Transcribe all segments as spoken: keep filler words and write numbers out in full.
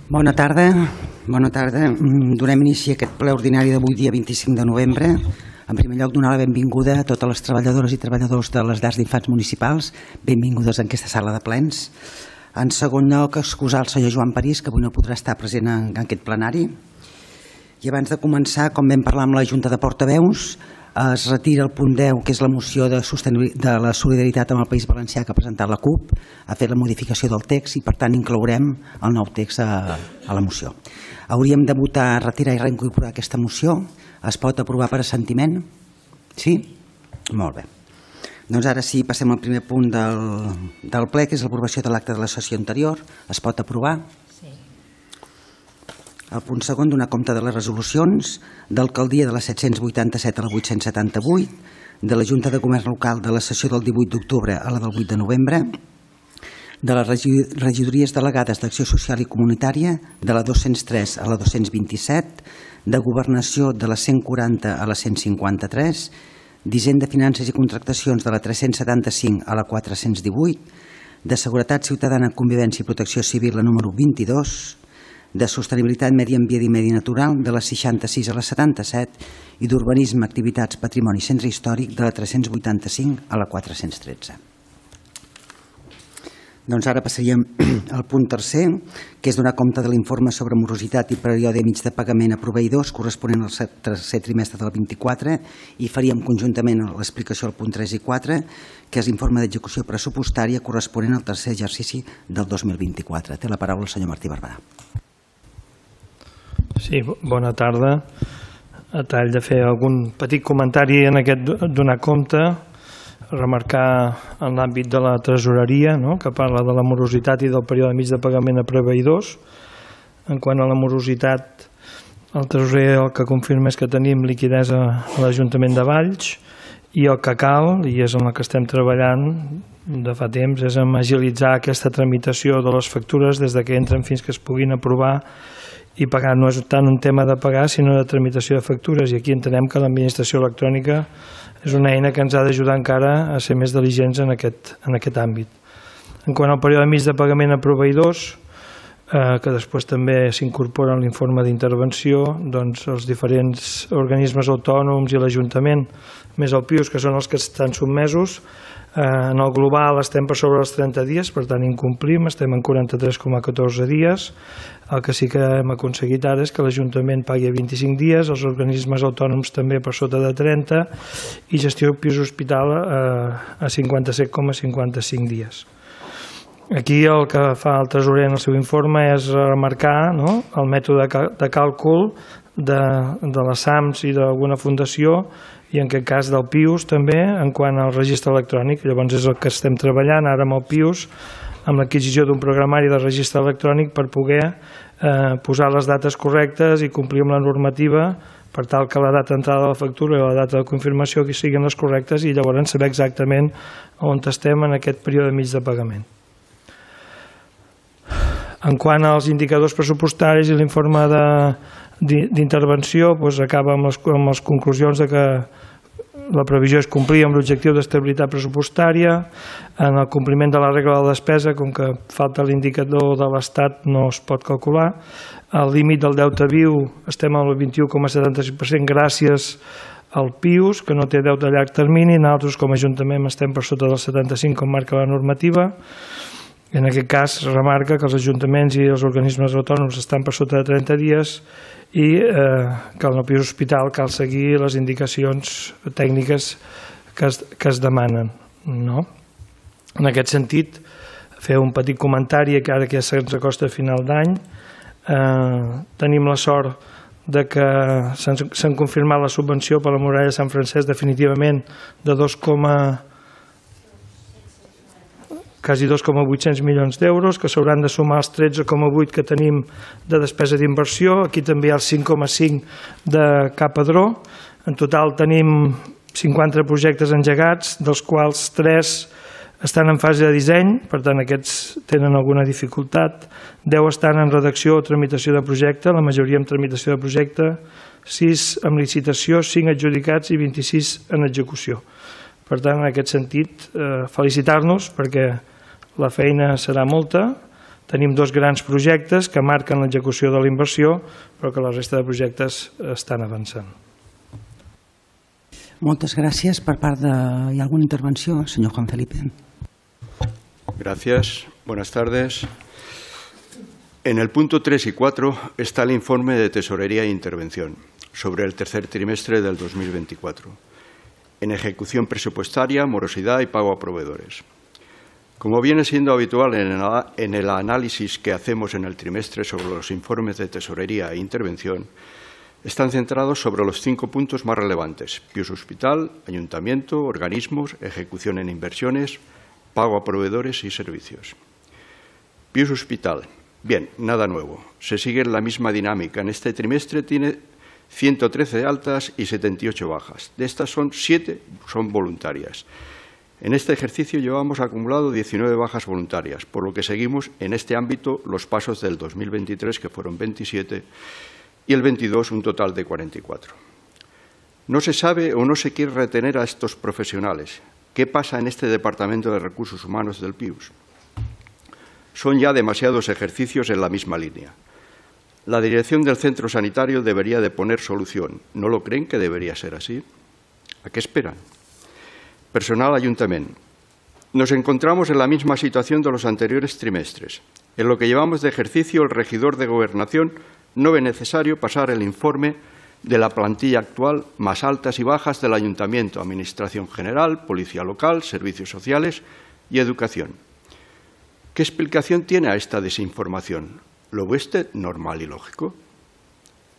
Bona tarda. Bona tarda. Donem inici a aquest ple ordinari d'avui, dia vint-i-cinc de novembre. En primer lloc, donar la benvinguda a totes les treballadores i treballadors de les llars d'infants municipals. Benvingudes en aquesta sala de plens. En segon lloc, excusar el senyor Joan París, que avui no podrà estar present en aquest plenari. I abans de començar, com vam parlar amb la Junta de Portaveus, es retira el punt deu, que és la moció de, de la solidaritat amb el País Valencià que ha presentat la CUP, ha fet la modificació del text i per tant inclourem el nou text a, a la moció. Hauríem de votar, retirar i reincorporar aquesta moció. Es pot aprovar per assentiment? Sí? Molt bé. Doncs ara sí, passem al primer punt del, del ple, que és l'aprovació de l'acte de la sessió anterior. Es pot aprovar? El punt segon, donar compte de les resolucions d'alcaldia de la set-cents vuitanta-set a la vuit-cents setanta-vuit, de la Junta de Comerç Local de la sessió del divuit d'octubre a la del vuit de novembre, de les regidories delegades d'Acció Social i Comunitària de la dos-cents tres a la dos-cents vint-i-set, de Governació de la cent quaranta a la cent cinquanta-tres, d'Hisenda, Finances i Contractacions de la tres-cents setanta-cinc a la quatre-cents divuit, de Seguretat Ciutadana, Convivència i Protecció Civil la número vint-i-dos, de Sostenibilitat, Medi Ambient i Medi Natural de la seixanta-sis a la setanta-set i d'Urbanisme, Activitats, Patrimoni i Centre Històric de la tres-cents vuitanta-cinc a la quatre-cents tretze. Doncs ara passaríem al punt tercer, que és donar compte de l'informe sobre morositat i període mig de pagament a proveïdors corresponent al tercer trimestre del vint-i-quatre, i faríem conjuntament l'explicació al punt tres i quatre, que és l'informe d'execució pressupostària corresponent al tercer exercici del dos mil vint-i-quatre. Té la paraula el senyor Martí Barberà. Sí, bona tarda. A tall de fer algun petit comentari en aquest donar compte, remarcar en l'àmbit de la tresoreria, no?, que parla de la morositat i del període mig de pagament a proveïdors. En quant a la morositat, el tresorer el que confirma és que tenim liquiditat a l'Ajuntament de Valls, i el que cal, i és en el que estem treballant de fa temps, és en agilitzar aquesta tramitació de les factures des que entren fins que es puguin aprovar i pagar. No és tant un tema de pagar, sinó de tramitació de factures, i aquí entenem que l'administració electrònica és una eina que ens ha d'ajudar encara a ser més diligents en aquest, en aquest àmbit. En quant al període mig de pagament a proveïdors, eh, que després també s'incorpora en l'informe d'intervenció, doncs els diferents organismes autònoms i l'Ajuntament, més el Pius, que són els que estan sotmesos, en el global estem per sobre els trenta dies, per tant incomplim, estem en quaranta-tres coma catorze dies. El que sí que hem aconseguit ara és que l'Ajuntament pagui a vint-i-cinc dies, els organismes autònoms també per sota de trenta, i gestió Pius Hospital a cinquanta-set coma cinquanta-cinc dies. Aquí el que fa el tresorer en el seu informe és remarcar, no?, el mètode de càlcul de, de les S A Ms i d'alguna fundació, i en aquest cas del Pius també, en quant al registre electrònic. Llavors és el que estem treballant ara amb el Pius, amb l'adquisició d'un programari de registre electrònic per poder eh, posar les dates correctes i complir amb la normativa per tal que la data d'entrada de la factura i la data de confirmació que siguin les correctes, i llavors saber exactament on estem en aquest període mig de pagament. En quant als indicadors pressupostaris i l'informe d'intervenció, doncs acaba amb les, amb les conclusions de que la previsió és complir amb l'objectiu d'estabilitat pressupostària. En el compliment de la regla de la despesa, com que falta l'indicador de l'Estat, no es pot calcular. El límit del deute viu estem al vint-i-u coma setanta-cinc per cent gràcies al Pius, que no té deute a llarg termini. Nosaltres com a Ajuntament estem per sota del setanta-cinc, com marca la normativa. En aquest cas remarca que els ajuntaments i els organismes autònoms estan per sota de trenta dies i eh, que en el Pius Hospital cal seguir les indicacions tècniques que es, que es demanen, no? En aquest sentit, fer un petit comentari, que ara que ja se'ns acosta a final d'any, eh, tenim la sort de que s'han confirmat la subvenció per la muralla de Sant Francesc definitivament de dos coma quasi dos coma vuit-cents milions d'euros, que s'hauran de sumar els tretze coma vuit que tenim de despesa d'inversió. Aquí també hi ha el cinc coma cinc de Capadró. En total tenim cinquanta projectes engegats, dels quals tres estan en fase de disseny, per tant aquests tenen alguna dificultat. deu estan en redacció o tramitació de projecte, la majoria en tramitació de projecte, sis en licitació, cinc adjudicats i vint-i-sis en execució. Per tant, en aquest sentit, felicitar-nos perquè la feina serà molta, Tenim dos grans projectes que marquen l'execució de la inversió, però que la resta de projectes estan avançant. Moltes gràcies. Per part de... ¿Hay alguna intervenció, senyor Juan Felipe? Gracias. Buenas tardes. En el punto tres y cuatro está el informe de Tesorería e Intervención sobre el tercer trimestre del dos mil veinticuatro, en ejecución presupuestaria, morosidad y pago a proveedores. Como viene siendo habitual en el análisis que hacemos en el trimestre sobre los informes de Tesorería e Intervención, están centrados sobre los cinco puntos más relevantes: Pius Hospital, Ayuntamiento, organismos, ejecución en inversiones, pago a proveedores y servicios. Pius Hospital. Bien, nada nuevo. Se sigue la misma dinámica. En este trimestre tiene ciento trece altas y setenta y ocho bajas. De estas son siete son voluntarias. En este ejercicio llevamos acumulado diecinueve bajas voluntarias, por lo que seguimos en este ámbito los pasos del dos mil veintitrés, que fueron veintisiete, y el veintidós un total de cuarenta y cuatro. No se sabe o no se quiere retener a estos profesionales. ¿Qué pasa en este Departamento de Recursos Humanos del Pius? Son ya demasiados ejercicios en la misma línea. La dirección del centro sanitario debería de poner solución. ¿No lo creen que debería ser así? ¿A qué esperan? Personal Ayuntamiento. Nos encontramos en la misma situación de los anteriores trimestres. En lo que llevamos de ejercicio, el regidor de Gobernación no ve necesario pasar el informe de la plantilla actual, más altas y bajas del Ayuntamiento, Administración General, Policía Local, Servicios Sociales y Educación. ¿Qué explicación tiene a esta desinformación? ¿Lo ve usted normal y lógico?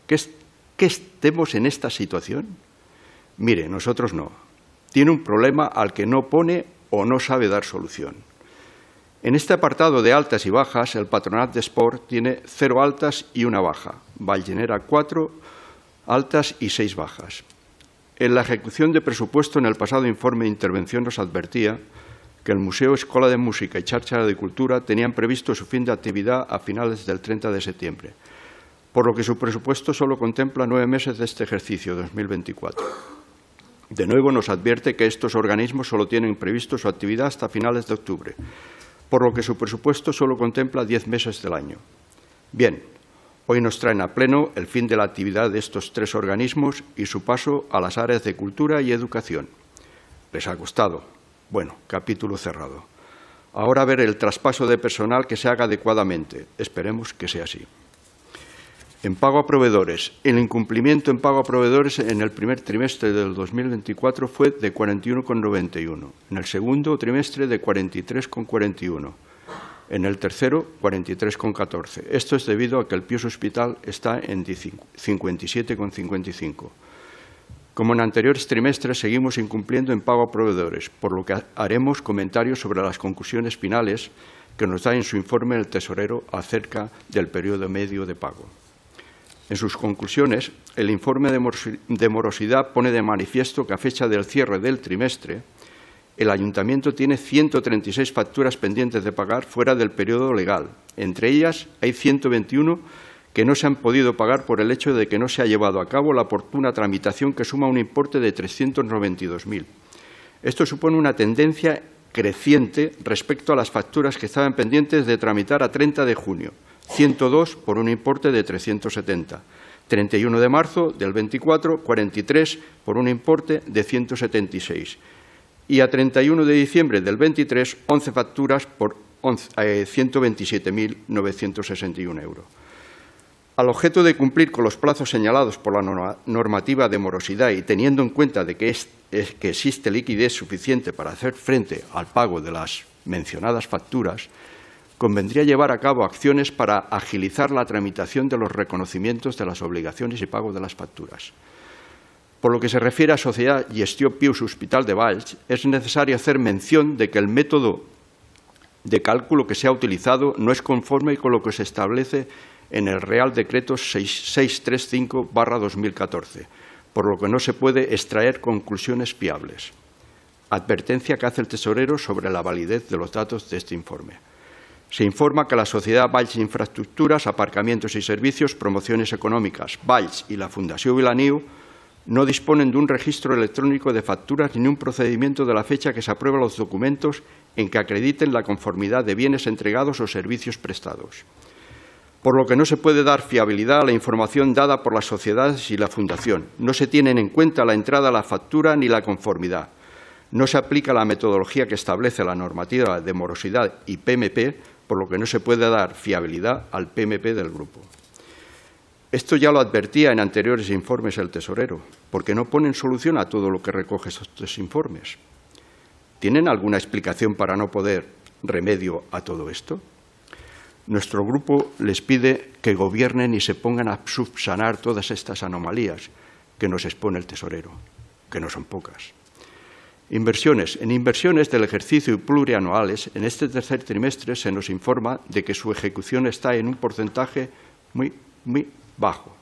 ¿Que, es, que estemos en esta situación? Mire, nosotros no. Tiene un problema al que no pone o no sabe dar solución. En este apartado de altas y bajas, el Patronat de Sport tiene cero altas y una baja. Vallenera cuatro altas y seis bajas. En la ejecución de presupuesto, en el pasado informe de intervención nos advertía que el Museo, Escola de Música y Cháchara de Cultura tenían previsto su fin de actividad a finales del treinta de septiembre, por lo que su presupuesto solo contempla nueve meses de este ejercicio dos mil veinticuatro. De nuevo nos advierte que estos organismos solo tienen previsto su actividad hasta finales de octubre, por lo que su presupuesto solo contempla diez meses del año. Bien, hoy nos traen a pleno el fin de la actividad de estos tres organismos y su paso a las áreas de cultura y educación. ¿Les ha costado? Bueno, capítulo cerrado. Ahora ver el traspaso de personal que se haga adecuadamente. Esperemos que sea así. En pago a proveedores. El incumplimiento en pago a proveedores en el primer trimestre del dos mil veinticuatro fue de cuarenta y uno coma noventa y uno. En el segundo trimestre de cuarenta y tres coma cuarenta y uno. En el tercero, cuarenta y tres coma catorce. Esto es debido a que el Pius Hospital está en cincuenta y siete coma cincuenta y cinco. Como en anteriores trimestres, seguimos incumpliendo en pago a proveedores, por lo que haremos comentarios sobre las conclusiones finales que nos da en su informe el tesorero acerca del periodo medio de pago. En sus conclusiones, el informe de morosidad pone de manifiesto que a fecha del cierre del trimestre, el Ayuntamiento tiene ciento treinta y seis facturas pendientes de pagar fuera del periodo legal. Entre ellas hay ciento veintiuno que no se han podido pagar por el hecho de que no se ha llevado a cabo la oportuna tramitación, que suma un importe de trescientos noventa y dos mil. Esto supone una tendencia creciente respecto a las facturas que estaban pendientes de tramitar a treinta de junio, ciento dos por un importe de trescientos setenta. treinta y uno de marzo del veinticuatro, cuarenta y tres por un importe de ciento setenta y seis. Y a treinta y uno de diciembre del veintitrés, once facturas por ciento veintisiete mil novecientos sesenta y uno euros. Al objeto de cumplir con los plazos señalados por la normativa de morosidad y teniendo en cuenta de que, es, es, que existe liquidez suficiente para hacer frente al pago de las mencionadas facturas, convendría llevar a cabo acciones para agilizar la tramitación de los reconocimientos de las obligaciones y pago de las facturas. Por lo que se refiere a Sociedad Gestió Pius Hospital de Valls, es necesario hacer mención de que el método de cálculo que se ha utilizado no es conforme con lo que se establece en el Real Decreto seiscientos treinta y cinco barra dos mil catorce, por lo que no se puede extraer conclusiones fiables. Advertencia que hace el tesorero sobre la validez de los datos de este informe. Se informa que la Sociedad Valls Infraestructuras, Aparcamientos y Servicios, Promociones Económicas, Valls y la Fundació Vilaniu No disponen de un registro electrónico de facturas ni un procedimiento de la fecha que se aprueban los documentos en que acrediten la conformidad de bienes entregados o servicios prestados. Por lo que no se puede dar fiabilidad a la información dada por las sociedades y la Fundación. No se tienen en cuenta la entrada a la factura ni la conformidad. No se aplica la metodología que establece la normativa de morosidad y P M P, por lo que no se puede dar fiabilidad al P M P del grupo. Esto ya lo advertía en anteriores informes el tesorero, porque no ponen solución a todo lo que recoge estos informes. ¿Tienen alguna explicación para no poner remedio a todo esto? Nuestro grupo les pide que gobiernen y se pongan a subsanar todas estas anomalías que nos expone el tesorero, que no son pocas. Inversiones. En inversiones del ejercicio y plurianuales, en este tercer trimestre se nos informa de que su ejecución está en un porcentaje muy, muy bajo,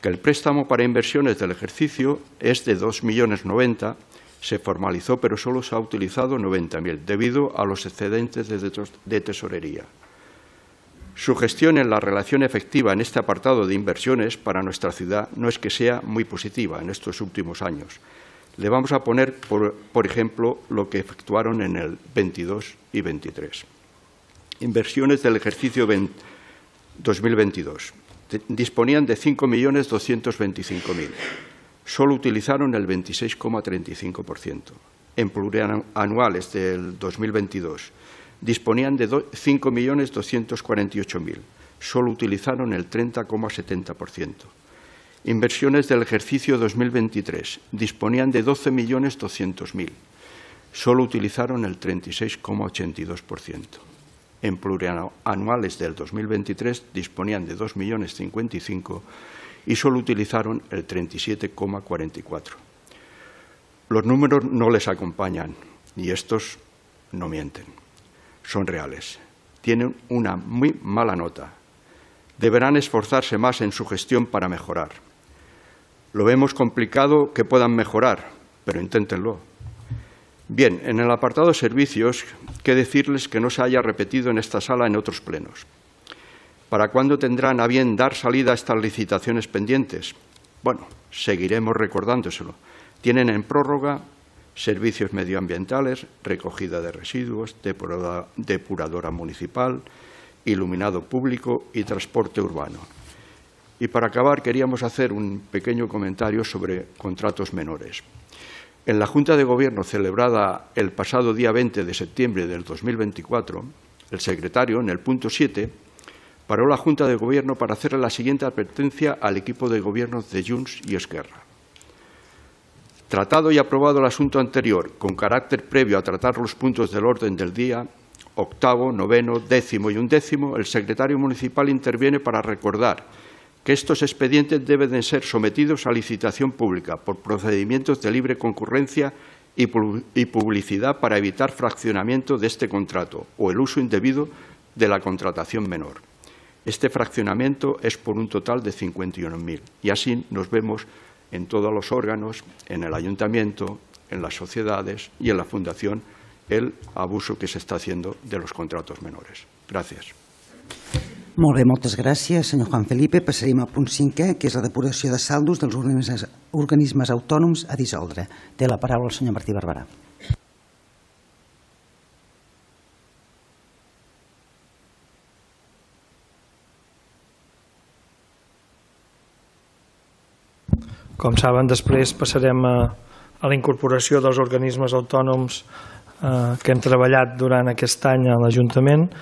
que el préstamo para inversiones del ejercicio es de dos millones noventa, se formalizó pero solo se ha utilizado noventa mil debido a los excedentes de tesorería. Su gestión en la relación efectiva en este apartado de inversiones para nuestra ciudad no es que sea muy positiva en estos últimos años. Le vamos a poner, por, por ejemplo, lo que efectuaron en el veintidós y veintitrés. Inversiones del ejercicio dos mil veintidós. Disponían de cinco millones doscientos veinticinco mil. Solo utilizaron el veintiséis coma treinta y cinco por ciento. En plurianuales del dos mil veintidós disponían de cinco millones doscientos cuarenta y ocho mil. Solo utilizaron el treinta coma setenta por ciento. Inversiones del ejercicio dos mil veintitrés disponían de doce millones doscientos mil. Solo utilizaron el treinta y seis coma ochenta y dos por ciento. En plurianuales del dos mil veintitrés disponían de dos millones cincuenta y cinco y solo utilizaron el treinta y siete coma cuarenta y cuatro. Los números no les acompañan y estos no mienten. Son reales. Tienen una muy mala nota. Deberán esforzarse más en su gestión para mejorar. Lo vemos complicado que puedan mejorar, pero inténtenlo. Bien, en el apartado servicios, qué decirles que no se haya repetido en esta sala en otros plenos. ¿Para cuándo tendrán a bien dar salida a estas licitaciones pendientes? Bueno, seguiremos recordándoselo. Tienen en prórroga servicios medioambientales, recogida de residuos, depuradora, depuradora municipal, iluminado público y transporte urbano. Y para acabar, queríamos hacer un pequeño comentario sobre contratos menores. En la Junta de Gobierno celebrada el pasado día veinte de septiembre del dos mil veinticuatro, el secretario, en el punto siete, paró la Junta de Gobierno para hacerle la siguiente advertencia al equipo de gobierno de Junts y Esquerra. Tratado y aprobado el asunto anterior, con carácter previo a tratar los puntos del orden del día, octavo, noveno, décimo y undécimo, el secretario municipal interviene para recordar que estos expedientes deben de ser sometidos a licitación pública por procedimientos de libre concurrencia y publicidad para evitar fraccionamiento de este contrato o el uso indebido de la contratación menor. Este fraccionamiento es por un total de cincuenta y uno mil y así nos vemos en todos los órganos, en el ayuntamiento, en las sociedades y en la fundación, el abuso que se está haciendo de los contratos menores. Gràcies. Molt bé, moltes gràcies, senyor Juan Felipe. Passaríem al punt cinquè, que és la depuració de saldos dels organismes, organismes autònoms a dissoldre. Té la paraula el senyor Martí Barberà. Com saben, després passarem a, a la incorporació dels organismes autònoms eh, que hem treballat durant aquest any a l'Ajuntament.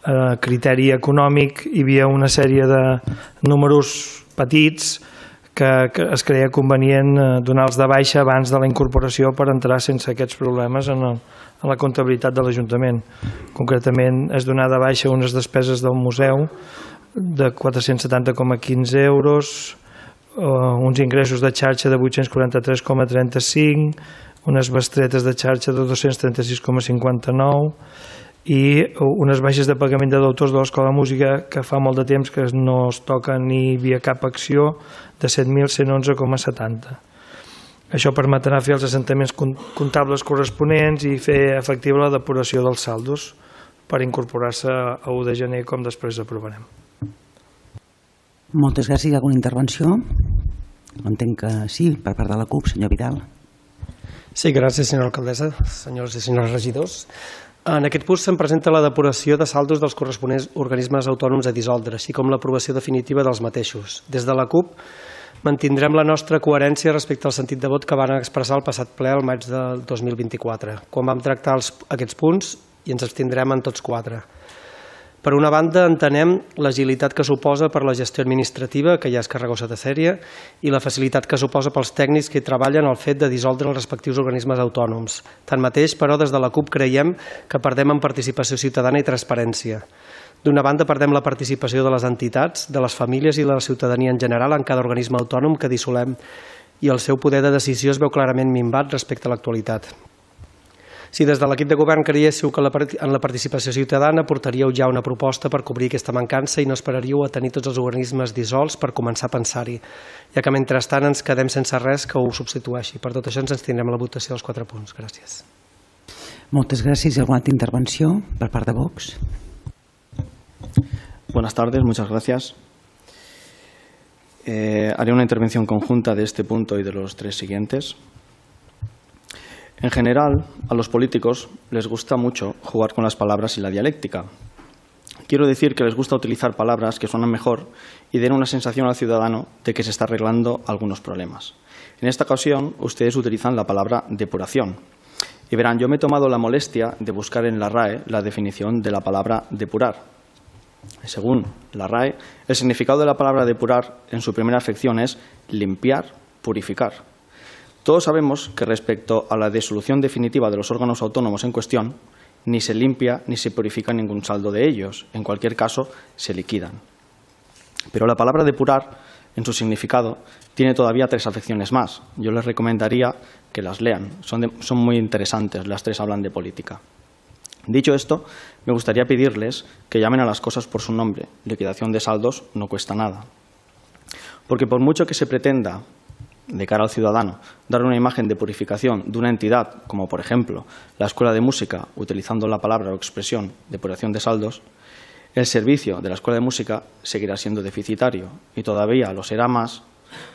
A criteri econòmic hi havia una sèrie de números petits que, que es creia convenient donar-los de baixa abans de la incorporació per entrar sense aquests problemes en, el, en la comptabilitat de l'Ajuntament. Concretament, es donar de baixa unes despeses del museu de quatre-cents setanta coma quinze euros, uns ingressos de xarxa de vuit-cents quaranta-tres coma trenta-cinc, unes bestretes de xarxa de dos-cents trenta-sis coma cinquanta-nou i unes baixes de pagament de deutors de l'Escola de Música que fa molt de temps que no es toca ni via cap acció de set mil cent onze coma setanta. Això permetrà fer els assentaments comptables corresponents i fer efectiva la depuració dels saldos per incorporar-se a u de gener, com després aprovarem. Moltes gràcies. Hi ha alguna intervenció? Entenc que sí, per part de la CUP, senyor Vidal. Sí, gràcies, senyora alcaldessa, senyors i senyores regidors. En aquest punt se'n presenta la depuració de saldos dels corresponents organismes autònoms a dissoldre, així com l'aprovació definitiva dels mateixos. Des de la CUP mantindrem la nostra coherència respecte al sentit de vot que van expressar el passat ple al maig del dos mil vint-i-quatre, quan vam tractar els, aquests punts i ens abstindrem en tots quatre. Per una banda, entenem l'agilitat que suposa per la gestió administrativa, que ja és carregosa de sèrie, i la facilitat que suposa pels tècnics que hi treballen el fet de dissoldre els respectius organismes autònoms. Tanmateix, però, des de la CUP creiem que perdem en participació ciutadana i transparència. D'una banda, perdem la participació de les entitats, de les famílies i de la ciutadania en general en cada organisme autònom que dissolem, i el seu poder de decisió es veu clarament minvat respecte a l'actualitat. Si des de l'equip de govern creiéssiu que en la participació ciutadana portaríeu ja una proposta per cobrir aquesta mancança i no esperaríeu a tenir tots els organismes dissolts per començar a pensar-hi, ja que mentrestant ens quedem sense res que ho substitueixi. Per tot això ens tindrem la votació dels quatre punts. Gràcies. Moltes gràcies. ¿Y alguna intervenció per part de Vox? Buenas tardes, muchas gracias. Eh, haré una intervención conjunta de este punto y de los tres siguientes. En general, a los políticos les gusta mucho jugar con las palabras y la dialéctica. Quiero decir que les gusta utilizar palabras que suenan mejor y den una sensación al ciudadano de que se está arreglando algunos problemas. En esta ocasión, ustedes utilizan la palabra depuración. Y verán, yo me he tomado la molestia de buscar en la RAE la definición de la palabra depurar. Según la RAE, el significado de la palabra depurar en su primera afección es limpiar, purificar. Todos sabemos que respecto a la disolución definitiva de los órganos autónomos en cuestión, ni se limpia ni se purifica ningún saldo de ellos. En cualquier caso, se liquidan. Pero la palabra depurar, en su significado, tiene todavía tres afecciones más. Yo les recomendaría que las lean. Son, de, son muy interesantes, las tres hablan de política. Dicho esto, me gustaría pedirles que llamen a las cosas por su nombre. Liquidación de saldos no cuesta nada. Porque por mucho que se pretenda, de cara al ciudadano, dar una imagen de purificación de una entidad, como por ejemplo la Escuela de Música, utilizando la palabra o expresión depuración de saldos, el servicio de la Escuela de Música seguirá siendo deficitario y todavía lo será más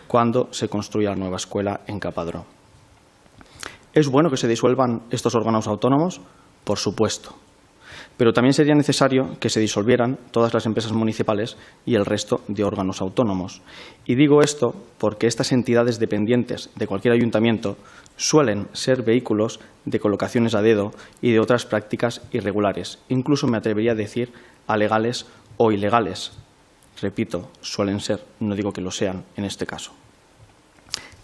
cuando se construya la nueva escuela en Capadró. ¿Es bueno que se disuelvan estos órganos autónomos? Por supuesto. Pero también sería necesario que se disolvieran todas las empresas municipales y el resto de órganos autónomos. Y digo esto porque estas entidades dependientes de cualquier ayuntamiento suelen ser vehículos de colocaciones a dedo y de otras prácticas irregulares, incluso me atrevería a decir alegales o ilegales. Repito, suelen ser, no digo que lo sean en este caso.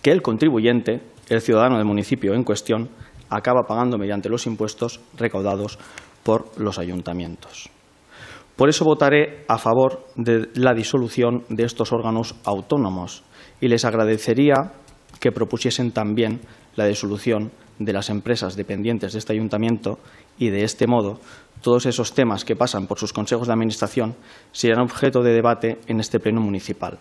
Que el contribuyente, el ciudadano del municipio en cuestión, acaba pagando mediante los impuestos recaudados por los ayuntamientos. Por eso votaré a favor de la disolución de estos órganos autónomos y les agradecería que propusiesen también la disolución de las empresas dependientes de este ayuntamiento y de este modo todos esos temas que pasan por sus consejos de administración serán objeto de debate en este pleno municipal.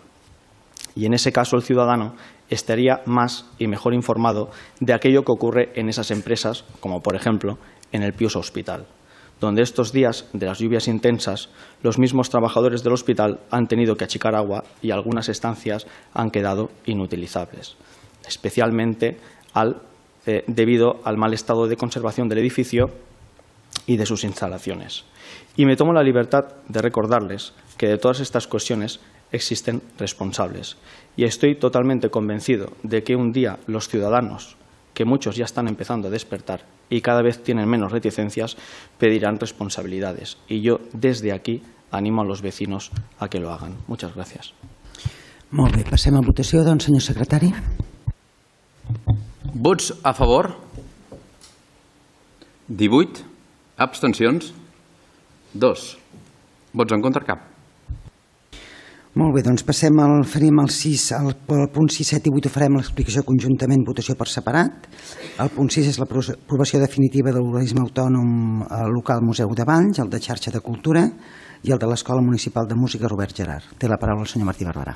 Y en ese caso el ciudadano estaría más y mejor informado de aquello que ocurre en esas empresas, como por ejemplo en el Pius Hospital, donde estos días de las lluvias intensas los mismos trabajadores del hospital han tenido que achicar agua y algunas estancias han quedado inutilizables, especialmente al, eh, debido al mal estado de conservación del edificio y de sus instalaciones. Y me tomo la libertad de recordarles que de todas estas cuestiones existen responsables y estoy totalmente convencido de que un día los ciudadanos, que muchos ya están empezando a despertar y cada vez tienen menos reticencias, pedirán responsabilidades. Y yo, desde aquí, animo a los vecinos a que lo hagan. Muchas gracias. Molt bé, passem a votació, doncs, senyor secretari. Vots a favor? divuit. Abstencions? dos. Vots en contra? Cap. Molt bé, doncs passem al, farem el sis, el, el punt sis, set i vuit ho farem l'explicació conjuntament, votació per separat. El punt sis és l'aprovació definitiva de l'organisme autònom local Museu de Valls, el de xarxa de cultura i el de l'Escola Municipal de Música Robert Gerard. Té la paraula el senyor Martí Barberà.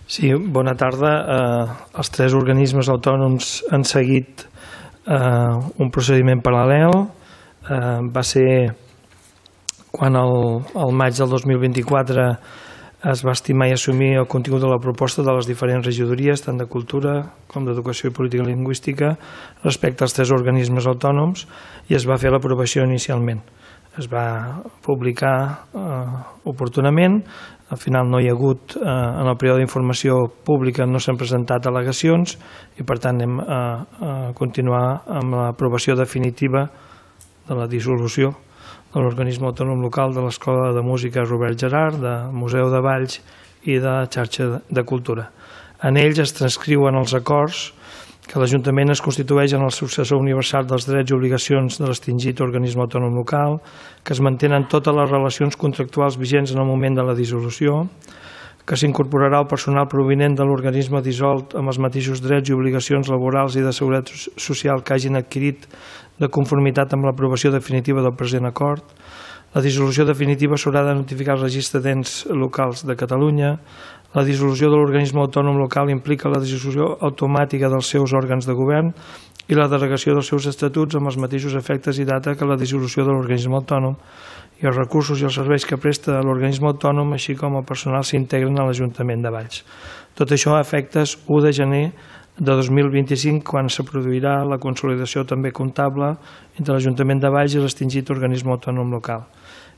Sí, bona tarda. Eh, els tres organismes autònoms han seguit eh, un procediment paral·lel. Eh, va ser quan el, el maig del dos mil vint-i-quatre es va estimar i assumir el contingut de la proposta de les diferents regidories, tant de Cultura com d'Educació i Política Lingüística, respecte als tres organismes autònoms, i es va fer l'aprovació inicialment. Es va publicar eh, oportunament, al final no hi ha hagut, eh, en el període d'informació pública no s'han presentat al·legacions i per tant anem a, a continuar amb l'aprovació definitiva de la dissolució de l'organisme autònom local de l'Escola de Música Robert Gerhard, del Museu de Valls i de la xarxa de cultura. En ells es transcriuen els acords que l'Ajuntament es constitueix en el successor universal dels drets i obligacions de l'extingit organisme autònom local, que es mantenen totes les relacions contractuals vigents en el moment de la dissolució, que s'incorporarà el personal provinent de l'organisme dissolt amb els mateixos drets i obligacions laborals i de seguretat social que hagin adquirit de conformitat amb l'aprovació definitiva del present acord. La dissolució definitiva s'haurà de notificar al registre d'ens locals de Catalunya. La dissolució de l'organisme autònom local implica la dissolució automàtica dels seus òrgans de govern i la delegació dels seus estatuts amb els mateixos efectes i data que la dissolució de l'organisme autònom, i els recursos i els serveis que presta l'organisme autònom, així com el personal, s'integren a l'Ajuntament de Valls. Tot això a efectes u de gener de dos mil vint-i-cinc, quan se produirà la consolidació també comptable entre l'Ajuntament de Valls i l'extingit organisme autònom local.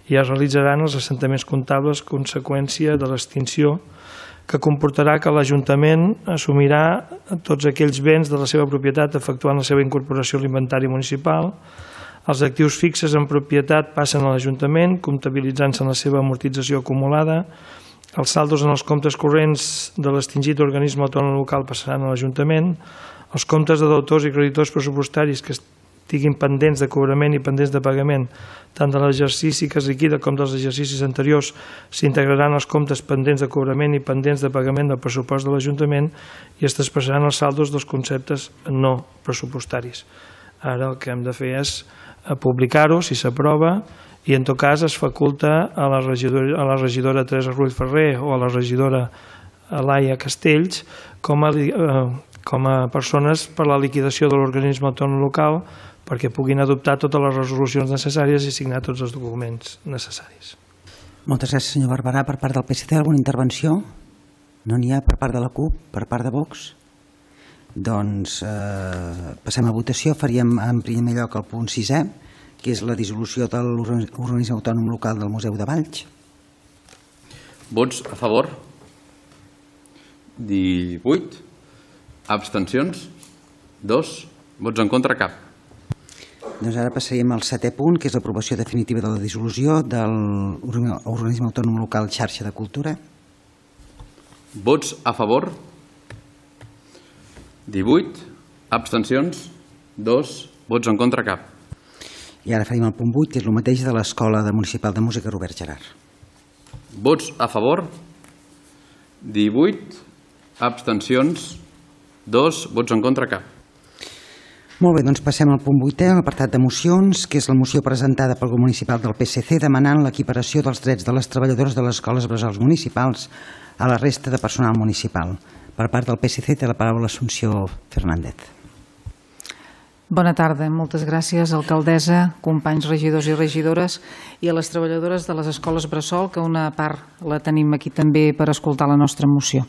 I es realitzaran els assentaments comptables conseqüència de l'extinció, que comportarà que l'Ajuntament assumirà tots aquells béns de la seva propietat efectuant la seva incorporació a l'inventari municipal. Els actius fixes en propietat passen a l'Ajuntament, comptabilitzant-se en la seva amortització acumulada. Els saldos en els comptes corrents de l'extingit organisme autònom local passaran a l'Ajuntament. Els comptes de deutors i creditors pressupostaris que estiguin pendents de cobrament i pendents de pagament, tant de l'exercici que es liquida com dels exercicis anteriors, s'integraran els comptes pendents de cobrament i pendents de pagament del pressupost de l'Ajuntament i es traspassaran els saldos dels conceptes no pressupostaris. Ara el que hem de fer és publicar-ho, si s'aprova, i en tot cas es faculta a la regidora, a la regidora Teresa Ruiz Ferrer o a la regidora Laia Castells com a, eh, com a persones per la liquidació de l'organisme autònom local perquè puguin adoptar totes les resolucions necessàries i signar tots els documents necessaris. Moltes gràcies, senyor Barberà. Per part del P S C, alguna intervenció? No n'hi ha per part de la CUP, per part de Vox? Doncs eh, passem a votació. Faríem en primer lloc el punt sisè, que és la dissolució de l'organisme autònom local del Museu de Valls. Vots a favor? divuit. Abstencions? dos. Vots en contra? Cap. Doncs ara passaríem al setè punt, que és l'aprovació definitiva de la dissolució de l'organisme autònom local Xarxa de Cultura. Vots a favor? divuit. Abstencions? dos. Vots en contra? Cap. I ara faríem el punt vuit, que és el mateix de l'Escola Municipal de Música Robert Gerhard. Vots a favor? divuit. Abstencions? dos. Vots en contra? Cap. Molt bé, doncs passem al punt vuitè, l'apartat de mocions, que és la moció presentada pel grup municipal del P S C demanant l'equiparació dels drets de les treballadores de les escoles bressols municipals a la resta de personal municipal. Per part del P S C té la paraula l'Assumpció Fernández. Bona tarda, moltes gràcies, alcaldessa, companys regidors i regidores i a les treballadores de les escoles bressol, que una part la tenim aquí també per escoltar la nostra moció.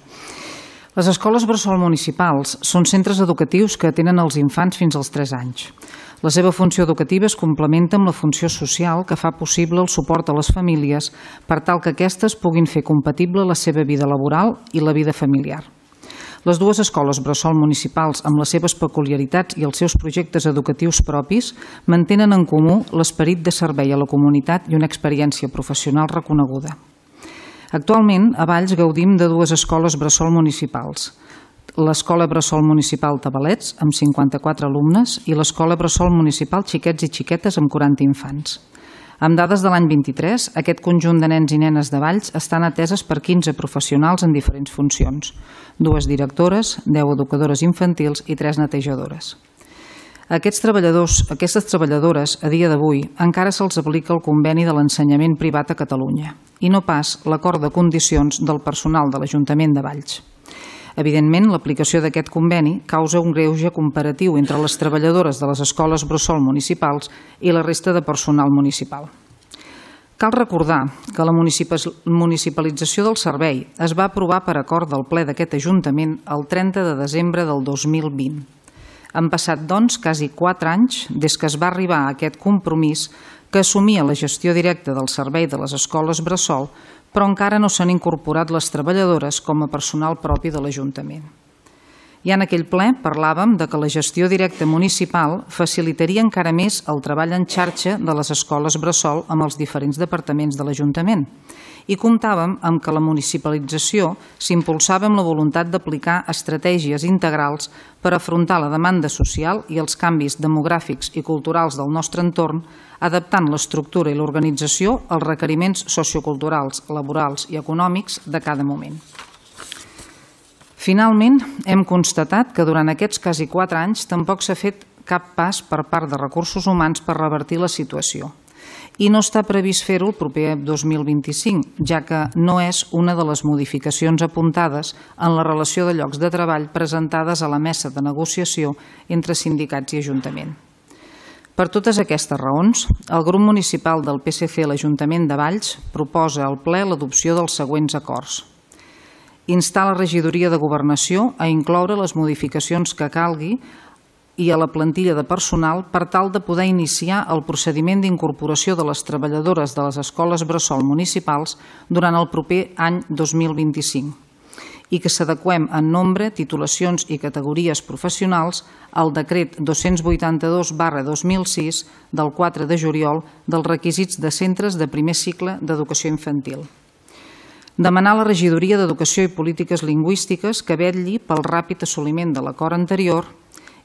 Les escoles bressol municipals són centres educatius que atenen els infants fins als tres anys. La seva funció educativa es complementa amb la funció social que fa possible el suport a les famílies per tal que aquestes puguin fer compatible la seva vida laboral i la vida familiar. Les dues escoles bressol municipals, amb les seves peculiaritats i els seus projectes educatius propis, mantenen en comú l'esperit de servei a la comunitat i una experiència professional reconeguda. Actualment, a Valls gaudim de dues escoles bressol municipals, l'Escola Bressol Municipal Tabalets, amb cinquanta-quatre alumnes, i l'Escola Bressol Municipal Xiquets i Xiquetes, amb quaranta infants. Amb dades de l'any vint-i-tres, aquest conjunt de nens i nenes de Valls estan ateses per quinze professionals en diferents funcions, dues directores, deu educadores infantils i tres netejadores. A aquests treballadors, aquestes treballadores, a dia d'avui, encara se'ls aplica el conveni de l'ensenyament privat a Catalunya i no pas l'acord de condicions del personal de l'Ajuntament de Valls. Evidentment, l'aplicació d'aquest conveni causa un greuge comparatiu entre les treballadores de les escoles bressol municipals i la resta de personal municipal. Cal recordar que la municipalització del servei es va aprovar per acord del ple d'aquest Ajuntament el trenta de desembre del dos mil vint. Han passat, doncs, quasi quatre anys des que es va arribar a aquest compromís que assumia la gestió directa del servei de les escoles bressol, però encara no s'han incorporat les treballadores com a personal propi de l'Ajuntament. Ja en aquell ple parlàvem de que la gestió directa municipal facilitaria encara més el treball en xarxa de les escoles bressol amb els diferents departaments de l'Ajuntament i comptàvem amb que la municipalització s'impulsava amb la voluntat d'aplicar estratègies integrals per afrontar la demanda social i els canvis demogràfics i culturals del nostre entorn, adaptant l'estructura i l'organització als requeriments socioculturals, laborals i econòmics de cada moment. Finalment, hem constatat que durant aquests quasi quatre anys tampoc s'ha fet cap pas per part de recursos humans per revertir la situació. I no està previst fer-ho el proper dos mil vint-i-cinc, ja que no és una de les modificacions apuntades en la relació de llocs de treball presentades a la mesa de negociació entre sindicats i Ajuntament. Per totes aquestes raons, el grup municipal del P S C a l'Ajuntament de Valls proposa al ple l'adopció dels següents acords. Instar la regidoria de Governació a incloure les modificacions que calgui i a la plantilla de personal per tal de poder iniciar el procediment d'incorporació de les treballadores de les escoles bressol municipals durant el proper any dos mil vint-i-cinc i que s'adeqüem en nombre, titulacions i categories professionals al decret dos-cents vuitanta-dos barra dos mil sis del quatre de juliol dels requisits de centres de primer cicle d'educació infantil. Demanar a la regidoria d'Educació i Polítiques Lingüístiques que vetlli pel ràpid assoliment de l'acord anterior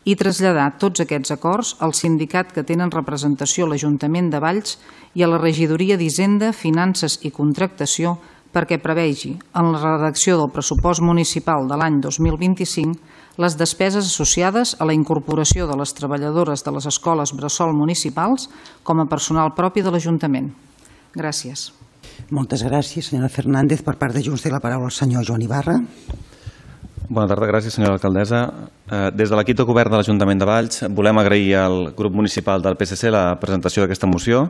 i traslladar tots aquests acords al sindicat que tenen representació a l'Ajuntament de Valls i a la regidoria d'Hisenda, Finances i Contractació perquè prevegi, en la redacció del pressupost municipal de l'any dos mil vint-i-cinc, les despeses associades a la incorporació de les treballadores de les escoles bressol municipals com a personal propi de l'Ajuntament. Gràcies. Moltes gràcies, senyora Fernández. Per part de Junts té la paraula el senyor Joan Ibarra. Bona tarda, gràcies senyora alcaldessa. Des de l'equip de govern de l'Ajuntament de Valls volem agrair al grup municipal del P S C la presentació d'aquesta moció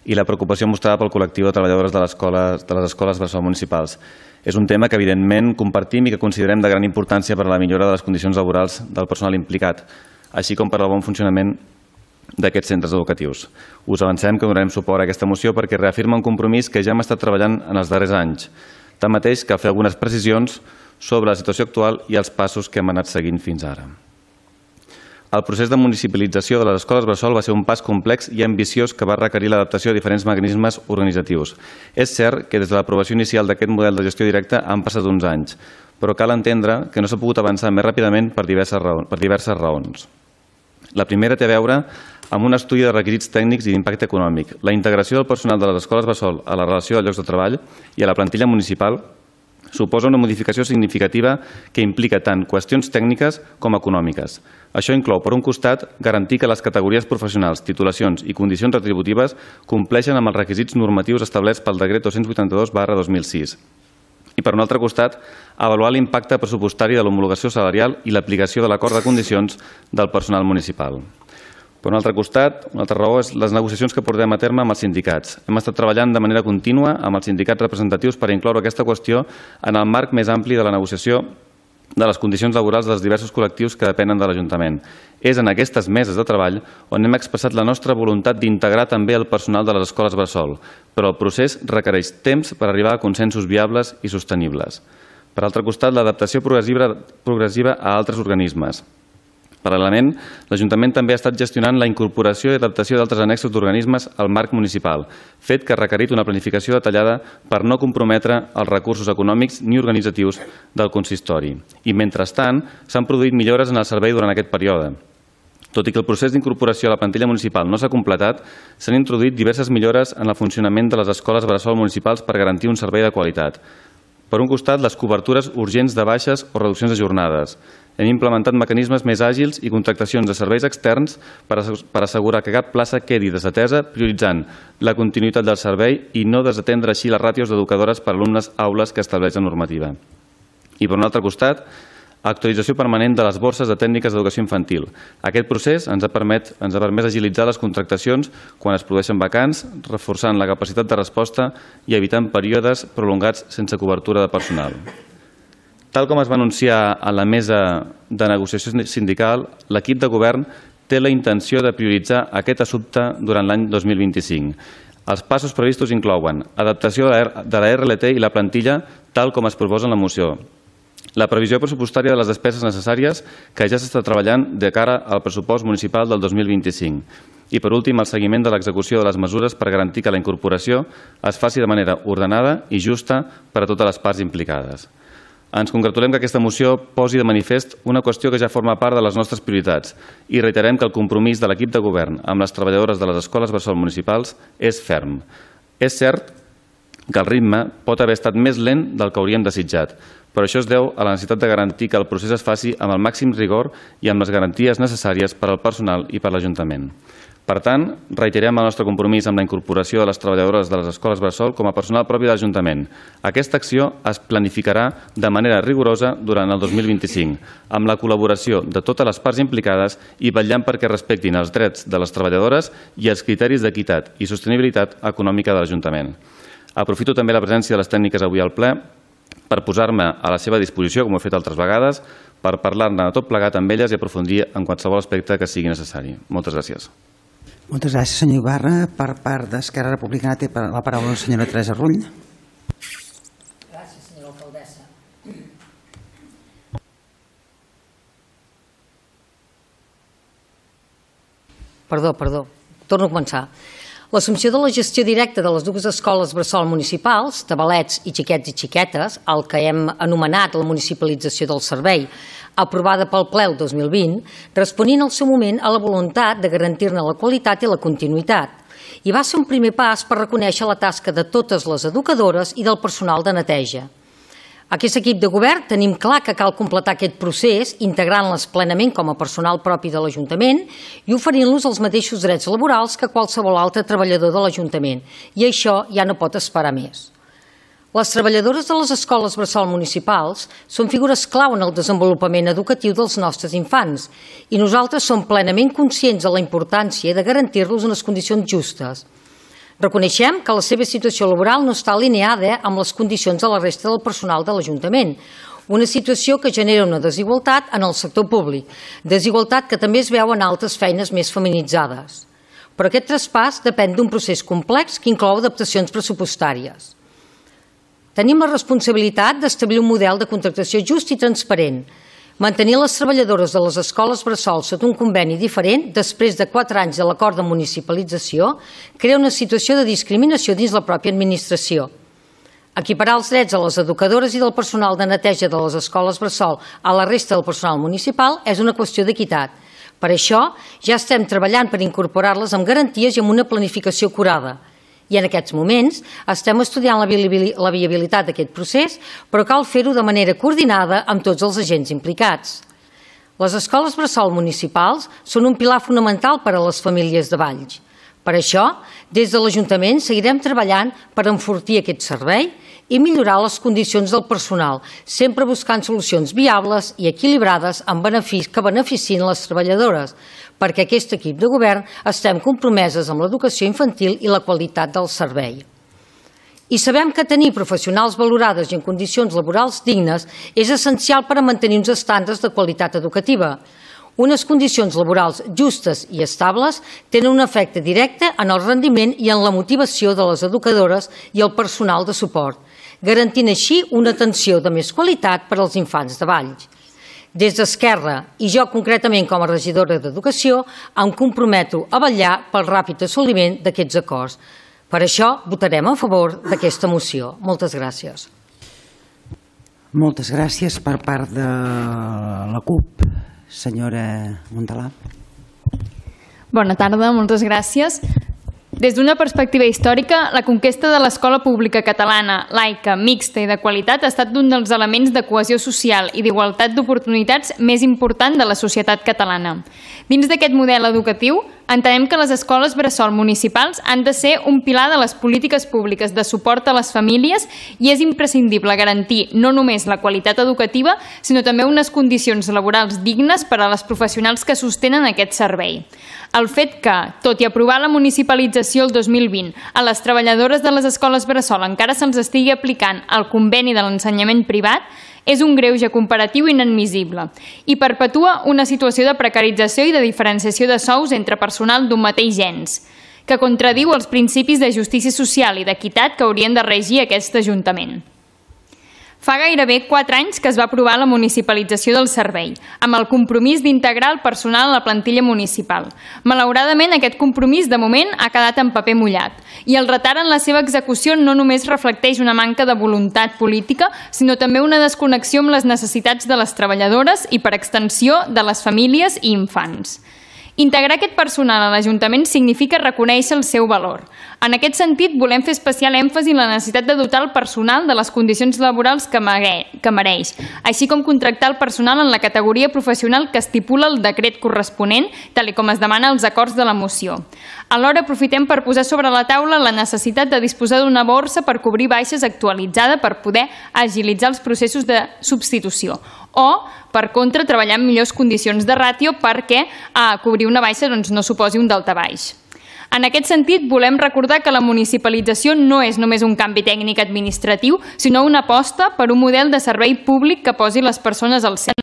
i la preocupació mostrada pel col·lectiu de treballadores de les escoles, de les escoles bressol municipals. És un tema que evidentment compartim i que considerem de gran importància per a la millora de les condicions laborals del personal implicat, així com per al bon funcionament d'aquests centres educatius. Us avancem que donarem suport a aquesta moció perquè reafirma un compromís que ja hem estat treballant en els darrers anys. Tanmateix, cal fer algunes precisions sobre la situació actual i els passos que hem anat seguint fins ara. El procés de municipalització de les escoles bressol va ser un pas complex i ambiciós que va requerir l'adaptació a diferents mecanismes organitzatius. És cert que des de l'aprovació inicial d'aquest model de gestió directa han passat uns anys, però cal entendre que no s'ha pogut avançar més ràpidament per diverses raons. Per diverses raons. La primera té a veure amb un estudi de requisits tècnics i d'impacte econòmic. La integració del personal de les escoles bressol a la relació de llocs de treball i a la plantilla municipal suposa una modificació significativa que implica tant qüestions tècniques com econòmiques. Això inclou, per un costat, garantir que les categories professionals, titulacions i condicions retributives compleixen amb els requisits normatius establerts pel decret dos-cents vuitanta-dos barra dos mil sis. I, per un altre costat, avaluar l'impacte pressupostari de l'homologació salarial i l'aplicació de l'acord de condicions del personal municipal. Per un altre costat, una altra raó és les negociacions que portem a terme amb els sindicats. Hem estat treballant de manera contínua amb els sindicats representatius per incloure aquesta qüestió en el marc més ampli de la negociació de les condicions laborals dels diversos col·lectius que depenen de l'Ajuntament. És en aquestes meses de treball on hem expressat la nostra voluntat d'integrar també el personal de les escoles bressol, però el procés requereix temps per arribar a consensos viables i sostenibles. Per altre costat, l'adaptació progressiva a altres organismes. Paral·lelament, l'Ajuntament també ha estat gestionant la incorporació i adaptació d'altres annexos d'organismes al marc municipal, fet que ha requerit una planificació detallada per no comprometre els recursos econòmics ni organitzatius del consistori. I, mentrestant, s'han produït millores en el servei durant aquest període. Tot i que el procés d'incorporació a la plantilla municipal no s'ha completat, s'han introduït diverses millores en el funcionament de les escoles bressol municipals per garantir un servei de qualitat. Per un costat, les cobertures urgents de baixes o reduccions de jornades. Hem implementat mecanismes més àgils i contractacions de serveis externs per assegurar que cap plaça quedi desatesa, prioritzant la continuïtat del servei i no desatendre així les ràtios d'educadores per alumnes aules que estableix la normativa. I per un altre costat, actualització permanent de les borses de tècniques d'educació infantil. Aquest procés ens ha permès, ens ha permès agilitzar les contractacions quan es produeixen vacants, reforçant la capacitat de resposta i evitant períodes prolongats sense cobertura de personal. Tal com es va anunciar a la mesa de negociació sindical, l'equip de govern té la intenció de prioritzar aquest assumpte durant l'any dos mil vint-i-cinc. Els passos previstos inclouen adaptació de la R L T i la plantilla tal com es proposa en la moció, la previsió pressupostària de les despeses necessàries que ja s'està treballant de cara al pressupost municipal del dos mil vint-i-cinc i, per últim, el seguiment de l'execució de les mesures per garantir que la incorporació es faci de manera ordenada i justa per a totes les parts implicades. Ens congratulem que aquesta moció posi de manifest una qüestió que ja forma part de les nostres prioritats i reiterem que el compromís de l'equip de govern amb les treballadores de les escoles bressol municipals és ferm. És cert que el ritme pot haver estat més lent del que hauríem desitjat, però això es deu a la necessitat de garantir que el procés es faci amb el màxim rigor i amb les garanties necessàries per al personal i per l'Ajuntament. Per tant, reiterem el nostre compromís amb la incorporació de les treballadores de les escoles bressol com a personal propi de l'Ajuntament. Aquesta acció es planificarà de manera rigorosa durant el dos mil vint-i-cinc, amb la col·laboració de totes les parts implicades i vetllant perquè respectin els drets de les treballadores i els criteris d'equitat i sostenibilitat econòmica de l'Ajuntament. Aprofito també la presència de les tècniques avui al ple per posar-me a la seva disposició, com ho he fet altres vegades, per parlar-ne de tot plegat amb elles i aprofundir en qualsevol aspecte que sigui necessari. Moltes gràcies. Moltes gràcies, senyor Ibarra. Per part d'Esquerra Republicana té la paraula la senyora Teresa Rull. Gràcies, senyora alcaldessa. Perdó, perdó. Torno a començar. L'assumpció de la gestió directa de les dues escoles bressol municipals, de Balets i Xiquets i Xiquetes, el que hem anomenat la municipalització del servei, aprovada pel ple el dos mil vint, responint al seu moment a la voluntat de garantir-ne la qualitat i la continuïtat. I va ser un primer pas per reconèixer la tasca de totes les educadores i del personal de neteja. Aquest equip de govern tenim clar que cal completar aquest procés integrant-les plenament com a personal propi de l'Ajuntament i oferint-los els mateixos drets laborals que qualsevol altre treballador de l'Ajuntament. I això ja no pot esperar més. Les treballadores de les escoles bressol municipals són figures clau en el desenvolupament educatiu dels nostres infants i nosaltres som plenament conscients de la importància de garantir-los unes condicions justes. Reconeixem que la seva situació laboral no està alineada amb les condicions de la resta del personal de l'Ajuntament, una situació que genera una desigualtat en el sector públic, desigualtat que també es veu en altres feines més feminitzades. Però aquest traspàs depèn d'un procés complex que inclou adaptacions pressupostàries. Tenim la responsabilitat d'establir un model de contractació just i transparent, mantenir les treballadores de les escoles bressol sota un conveni diferent després de quatre anys de l'acord de municipalització crea una situació de discriminació dins la pròpia administració. Equiparar els drets a les educadores i del personal de neteja de les escoles bressol a la resta del personal municipal és una qüestió d'equitat. Per això ja estem treballant per incorporar-les amb garanties i amb una planificació acurada. I en aquests moments estem estudiant la viabilitat d'aquest procés, però cal fer-ho de manera coordinada amb tots els agents implicats. Les escoles bressol municipals són un pilar fonamental per a les famílies de Valls. Per això, des de l'Ajuntament seguirem treballant per enfortir aquest servei i millorar les condicions del personal, sempre buscant solucions viables i equilibrades que beneficien les treballadores, perquè aquest equip de govern estem compromeses amb l'educació infantil i la qualitat del servei. I sabem que tenir professionals valorades i en condicions laborals dignes és essencial per a mantenir uns estàndards de qualitat educativa. Unes condicions laborals justes i estables tenen un efecte directe en el rendiment i en la motivació de les educadores i el personal de suport, garantint així una atenció de més qualitat per als infants de Valls. Des d'Esquerra, i jo concretament com a regidora d'Educació, em comprometo a vetllar pel ràpid assoliment d'aquests acords. Per això votarem a favor d'aquesta moció. Moltes gràcies. Moltes gràcies per part de la CUP. Senyora Montalà. Bona tarda, moltes gràcies. Des d'una perspectiva històrica, la conquesta de l'escola pública catalana, laica, mixta i de qualitat ha estat un dels elements de cohesió social i d'igualtat d'oportunitats més important de la societat catalana. Dins d'aquest model educatiu, entenem que les escoles bressol municipals han de ser un pilar de les polítiques públiques de suport a les famílies i és imprescindible garantir no només la qualitat educativa, sinó també unes condicions laborals dignes per a les professionals que sostenen aquest servei. El fet que, tot i aprovar la municipalització el dos mil vint, a les treballadores de les escoles bressol encara se'ls estigui aplicant el conveni de l'ensenyament privat, és un greuge comparatiu inadmissible i perpetua una situació de precarització i de diferenciació de sous entre personal d'un mateix gens, que contradiu els principis de justícia social i d'equitat que haurien de regir aquest Ajuntament. Fa gairebé quatre anys que es va aprovar la municipalització del servei, amb el compromís d'integrar el personal a la plantilla municipal. Malauradament, aquest compromís, de moment, ha quedat en paper mullat, i el retard en la seva execució no només reflecteix una manca de voluntat política, sinó també una desconnexió amb les necessitats de les treballadores i, per extensió, de les famílies i infants. Integrar aquest personal a l'Ajuntament significa reconèixer el seu valor. En aquest sentit, volem fer especial èmfasi en la necessitat de dotar el personal de les condicions laborals que mereix, així com contractar el personal en la categoria professional que estipula el decret corresponent, tal com es demana als acords de la moció. Alhora, aprofitem per posar sobre la taula la necessitat de disposar d'una borsa per cobrir baixes actualitzada per poder agilitzar els processos de substitució o, per contra, treballar en millors condicions de ràtio perquè cobrir una baixa no suposi un daltabaix. En aquest sentit, volem recordar que la municipalització no és només un canvi tècnic administratiu, sinó una aposta per un model de servei públic que posi les persones al centre.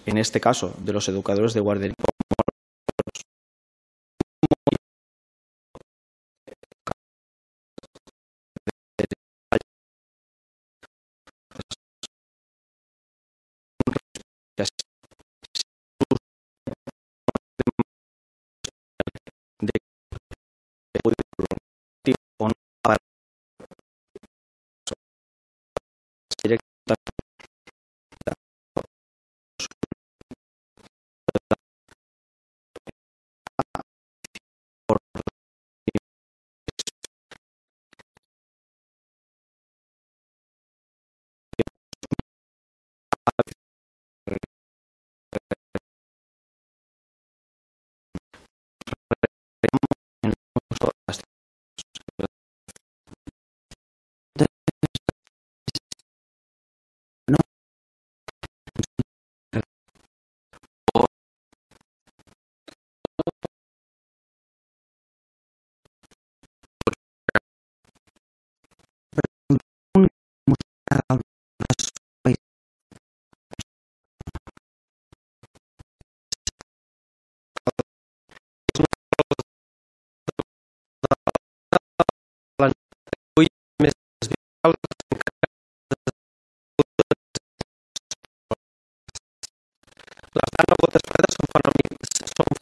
En este caso, de los educadores de guardería.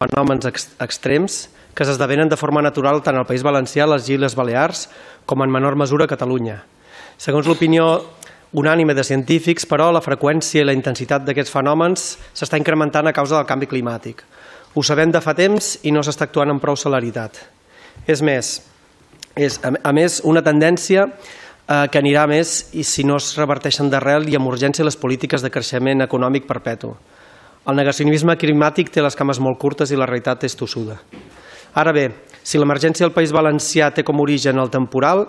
Fenòmens extrems que s'esdevenen de forma natural tant al País Valencià, les Illes Balears, com en menor mesura a Catalunya. Segons l'opinió unànime de científics, però la freqüència i la intensitat d'aquests fenòmens s'està incrementant a causa del canvi climàtic. Ho sabem de fa temps i no s'està actuant amb prou celeritat. És més, és a més una tendència que anirà més i si no es reverteixen d'arrel i amb urgència les polítiques de creixement econòmic perpetu. El negacionisme climàtic té les cames molt curtes i la realitat és tossuda. Ara bé, si l'emergència del País Valencià té com a origen el temporal,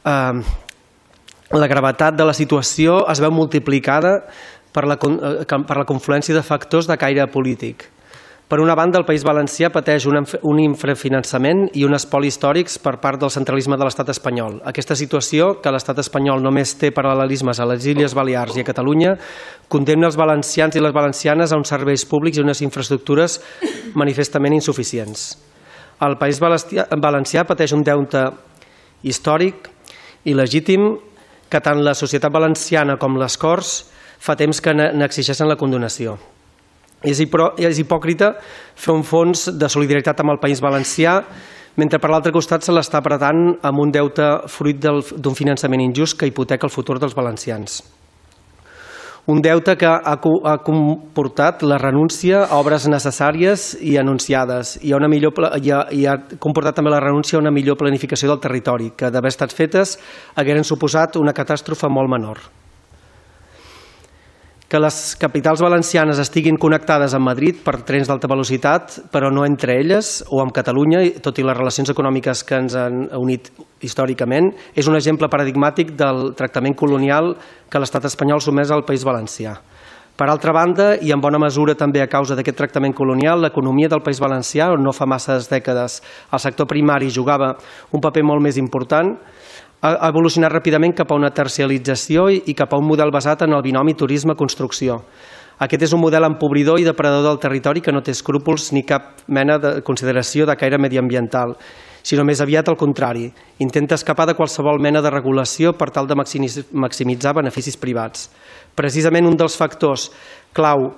eh, la gravetat de la situació es veu multiplicada per la, per la confluència de factors de caire polític. Per una banda, el País Valencià pateix un infrafinançament i un espoli històrics per part del centralisme de l'estat espanyol. Aquesta situació, que l'estat espanyol només té paral·lelismes a les Illes Balears i a Catalunya, condemna els valencians i les valencianes a uns serveis públics i unes infraestructures manifestament insuficients. El País Valencià pateix un deute històric i legítim que tant la societat valenciana com les Corts fa temps que n'exigeixen la condonació. És hipòcrita fer un fons de solidaritat amb el País Valencià mentre per l'altre costat se l'està apretant amb un deute fruit d'un finançament injust que hipoteca el futur dels valencians. Un deute que ha comportat la renúncia a obres necessàries i anunciades i ha comportat també la renúncia a una millor planificació del territori que d'haver estat fetes hagueren suposat una catàstrofe molt menor. Que les capitals valencianes estiguin connectades amb Madrid per trens d'alta velocitat, però no entre elles, o amb Catalunya, tot i les relacions econòmiques que ens han unit històricament, és un exemple paradigmàtic del tractament colonial que l'estat espanyol sotmès al País Valencià. Per altra banda, i en bona mesura també a causa d'aquest tractament colonial, l'economia del País Valencià, on no fa masses dècades el sector primari jugava un paper molt més important, ha evolucionat ràpidament cap a una terciarització i cap a un model basat en el binomi turisme-construcció. Aquest és un model empobridor i depredador del territori que no té escrúpols ni cap mena de consideració de caire mediambiental, sinó més aviat al contrari. Intenta escapar de qualsevol mena de regulació per tal de maximitzar beneficis privats. Precisament un dels factors clau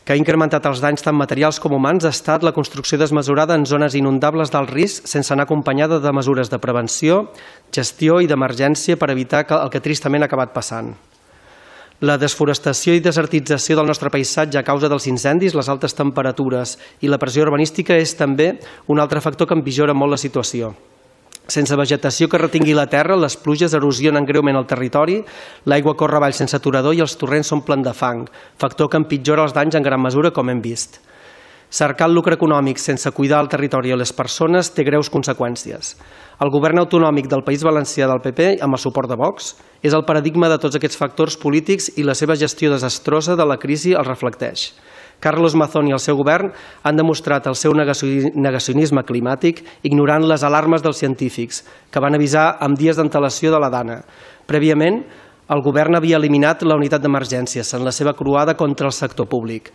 que ha incrementat els danys tant materials com humans ha estat la construcció desmesurada en zones inundables d'alt risc sense anar acompanyada de mesures de prevenció, gestió i d'emergència per evitar el que tristament ha acabat passant. La desforestació i desertització del nostre paisatge a causa dels incendis, les altes temperatures i la pressió urbanística és també un altre factor que empitjora molt la situació. Sense vegetació que retingui la terra, les pluges erosionen greument el territori, l'aigua corre avall sense aturador i els torrents s'omplen de fang, factor que empitjora els danys en gran mesura, com hem vist. Cercar el lucre econòmic sense cuidar el territori i les persones té greus conseqüències. El govern autonòmic del País Valencià del P P, amb el suport de Vox, és el paradigma de tots aquests factors polítics i la seva gestió desastrosa de la crisi els reflecteix. Carlos Mazón i el seu govern han demostrat el seu negacionisme climàtic ignorant les alarmes dels científics, que van avisar amb dies d'antelació de la Dana. Prèviament, el govern havia eliminat la unitat d'emergències en la seva croada contra el sector públic.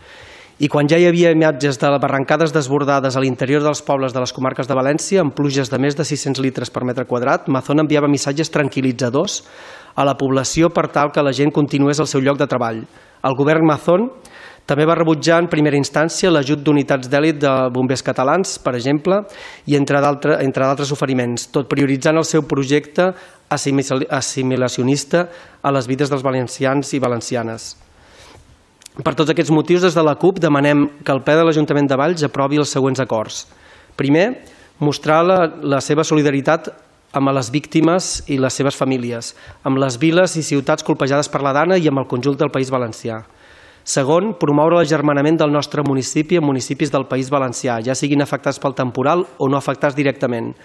I quan ja hi havia imatges de barrancades desbordades a l'interior dels pobles de les comarques de València, amb pluges de més de sis-cents litres per metre quadrat, Mazón enviava missatges tranquil·litzadors a la població per tal que la gent continués al seu lloc de treball. El govern Mazón també va rebutjar en primera instància l'ajut d'unitats d'èlit de bombers catalans, per exemple, i entre d'altres oferiments, tot prioritzant el seu projecte assimilacionista a les vides dels valencians i valencianes. Per tots aquests motius, des de la CUP demanem que el ple de l'Ajuntament de Valls aprovi els següents acords. Primer, mostrar la, la seva solidaritat amb les víctimes i les seves famílies, amb les viles i ciutats colpejades per la Dana i amb el conjunt del País Valencià. Segon, promoure l'agermanament del nostre municipi amb municipis del País Valencià, ja siguin afectats pel temporal o no afectats directament.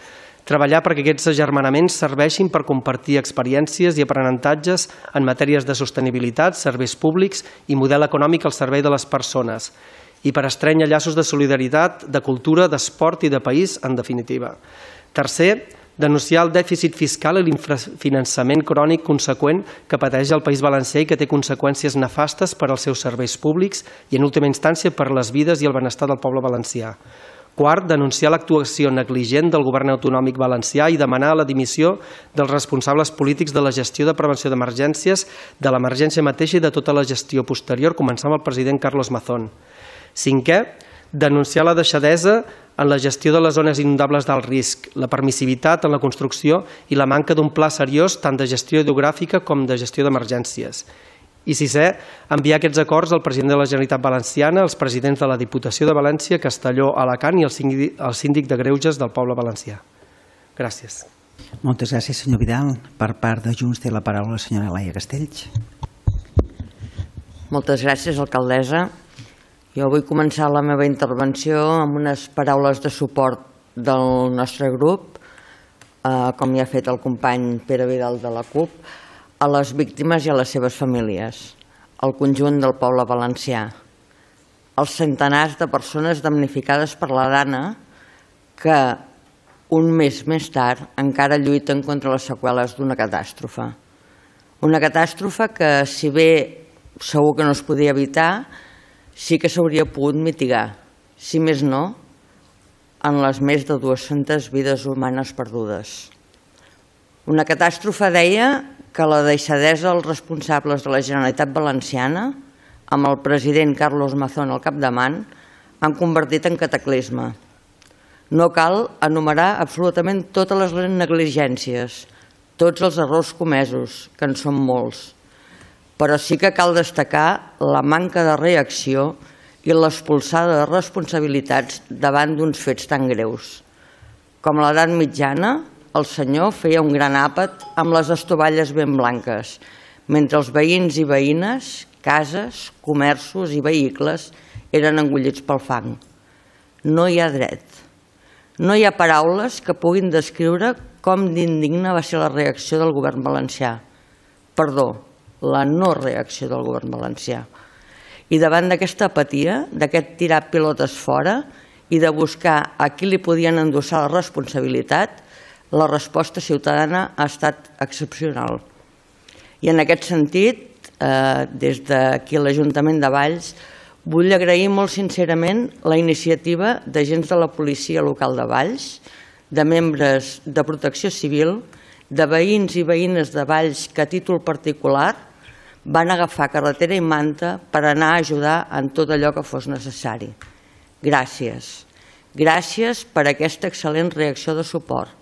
Treballar perquè aquests agermanaments serveixin per compartir experiències i aprenentatges en matèries de sostenibilitat, serveis públics i model econòmic al servei de les persones, i per estrènyer llaços de solidaritat, de cultura, d'esport i de país, en definitiva. Tercer, denunciar el dèficit fiscal i l'infrafinançament crònic conseqüent que pateix el País Valencià i que té conseqüències nefastes per als seus serveis públics i, en última instància, per les vides i el benestar del poble valencià. Quart, denunciar l'actuació negligent del govern autonòmic valencià i demanar la dimissió dels responsables polítics de la gestió de prevenció d'emergències, de l'emergència mateixa i de tota la gestió posterior, començant amb el president Carlos Mazón. Cinquè, denunciar la deixadesa en la gestió de les zones inundables d'alt risc, la permissivitat en la construcció i la manca d'un pla seriós tant de gestió hidrogràfica com de gestió d'emergències. I sisè, enviar aquests acords al president de la Generalitat Valenciana, als presidents de la Diputació de València, Castelló, Alacant i al síndic de Greuges del poble valencià. Gràcies. Moltes gràcies, senyor Vidal. Per part de Junts té la paraula la senyora Laia Castells. Moltes gràcies, alcaldessa. Jo vull començar la meva intervenció amb unes paraules de suport del nostre grup, com ja ha fet el company Pere Vidal de la CUP, a les víctimes i a les seves famílies, al conjunt del poble valencià, als centenars de persones damnificades per la Dana que un mes més tard encara lluiten contra les seqüeles d'una catàstrofe. Una catàstrofe que, si bé segur que no es podia evitar, sí que s'hauria pogut mitigar, si més no, en les més de dues-centes vides humanes perdudes. Una catàstrofe, deia, que la deixadesa dels responsables de la Generalitat Valenciana, amb el president Carlos Mazón al capdavant, han convertit en cataclisme. No cal enumerar absolutament totes les negligències, tots els errors comesos, que en són molts, però sí que cal destacar la manca de reacció i l'expulsada de responsabilitats davant d'uns fets tan greus. Com a l'edat mitjana, el senyor feia un gran àpat amb les estovalles ben blanques, mentre els veïns i veïnes, cases, comerços i vehicles eren engollits pel fang. No hi ha dret. No hi ha paraules que puguin descriure com d'indigna va ser la reacció del govern valencià. Perdó, la no reacció del govern valencià. I davant d'aquesta apatia, d'aquest tirar pilotes fora i de buscar a qui li podien endossar la responsabilitat, la resposta ciutadana ha estat excepcional. I en aquest sentit, des d'aquí a l'Ajuntament de Valls, vull agrair molt sincerament la iniciativa d'agents de la policia local de Valls, de membres de protecció civil, de veïns i veïnes de Valls que a títol particular van agafar carretera i manta per anar a ajudar en tot allò que fos necessari. Gràcies. Gràcies per aquesta excel·lent reacció de suport.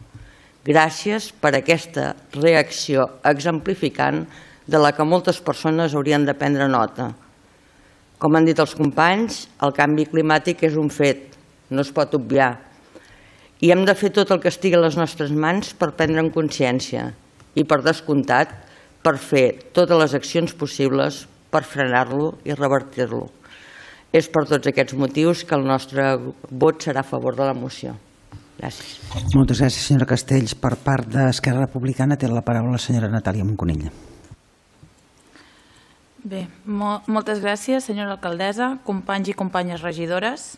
Gràcies per aquesta reacció exemplificant de la que moltes persones haurien de prendre nota. Com han dit els companys, el canvi climàtic és un fet, no es pot obviar. I hem de fer tot el que estigui a les nostres mans per prendre'n consciència i, per descomptat, per fer totes les accions possibles per frenar-lo i revertir-lo. És per tots aquests motius que el nostre vot serà a favor de la moció. Gràcies. Moltes gràcies, senyora Castells. Per part d'Esquerra Republicana té la paraula la senyora Natàlia Monconell. Bé, moltes gràcies, senyora alcaldessa, companys i companyes regidores.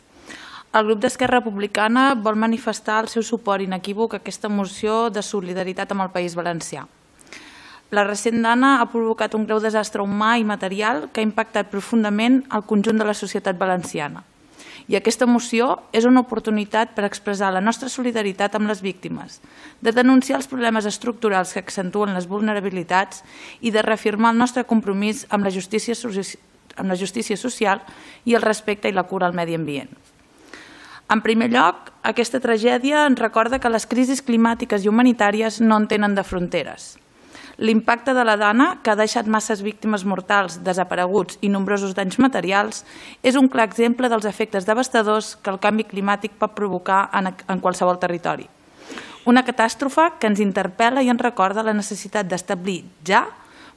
El grup d'Esquerra Republicana vol manifestar el seu suport inequívoc a aquesta moció de solidaritat amb el País Valencià. La recent Dana ha provocat un greu desastre humà i material que ha impactat profundament el conjunt de la societat valenciana. I aquesta moció és una oportunitat per expressar la nostra solidaritat amb les víctimes, de denunciar els problemes estructurals que accentuen les vulnerabilitats i de reafirmar el nostre compromís amb la justícia, amb la justícia social i el respecte i la cura al medi ambient. En primer lloc, aquesta tragèdia ens recorda que les crisis climàtiques i humanitàries no en tenen de fronteres. L'impacte de la Dana, que ha deixat masses víctimes mortals, desapareguts i nombrosos danys materials, és un clar exemple dels efectes devastadors que el canvi climàtic pot provocar en qualsevol territori. Una catàstrofe que ens interpel·la i ens recorda la necessitat d'establir ja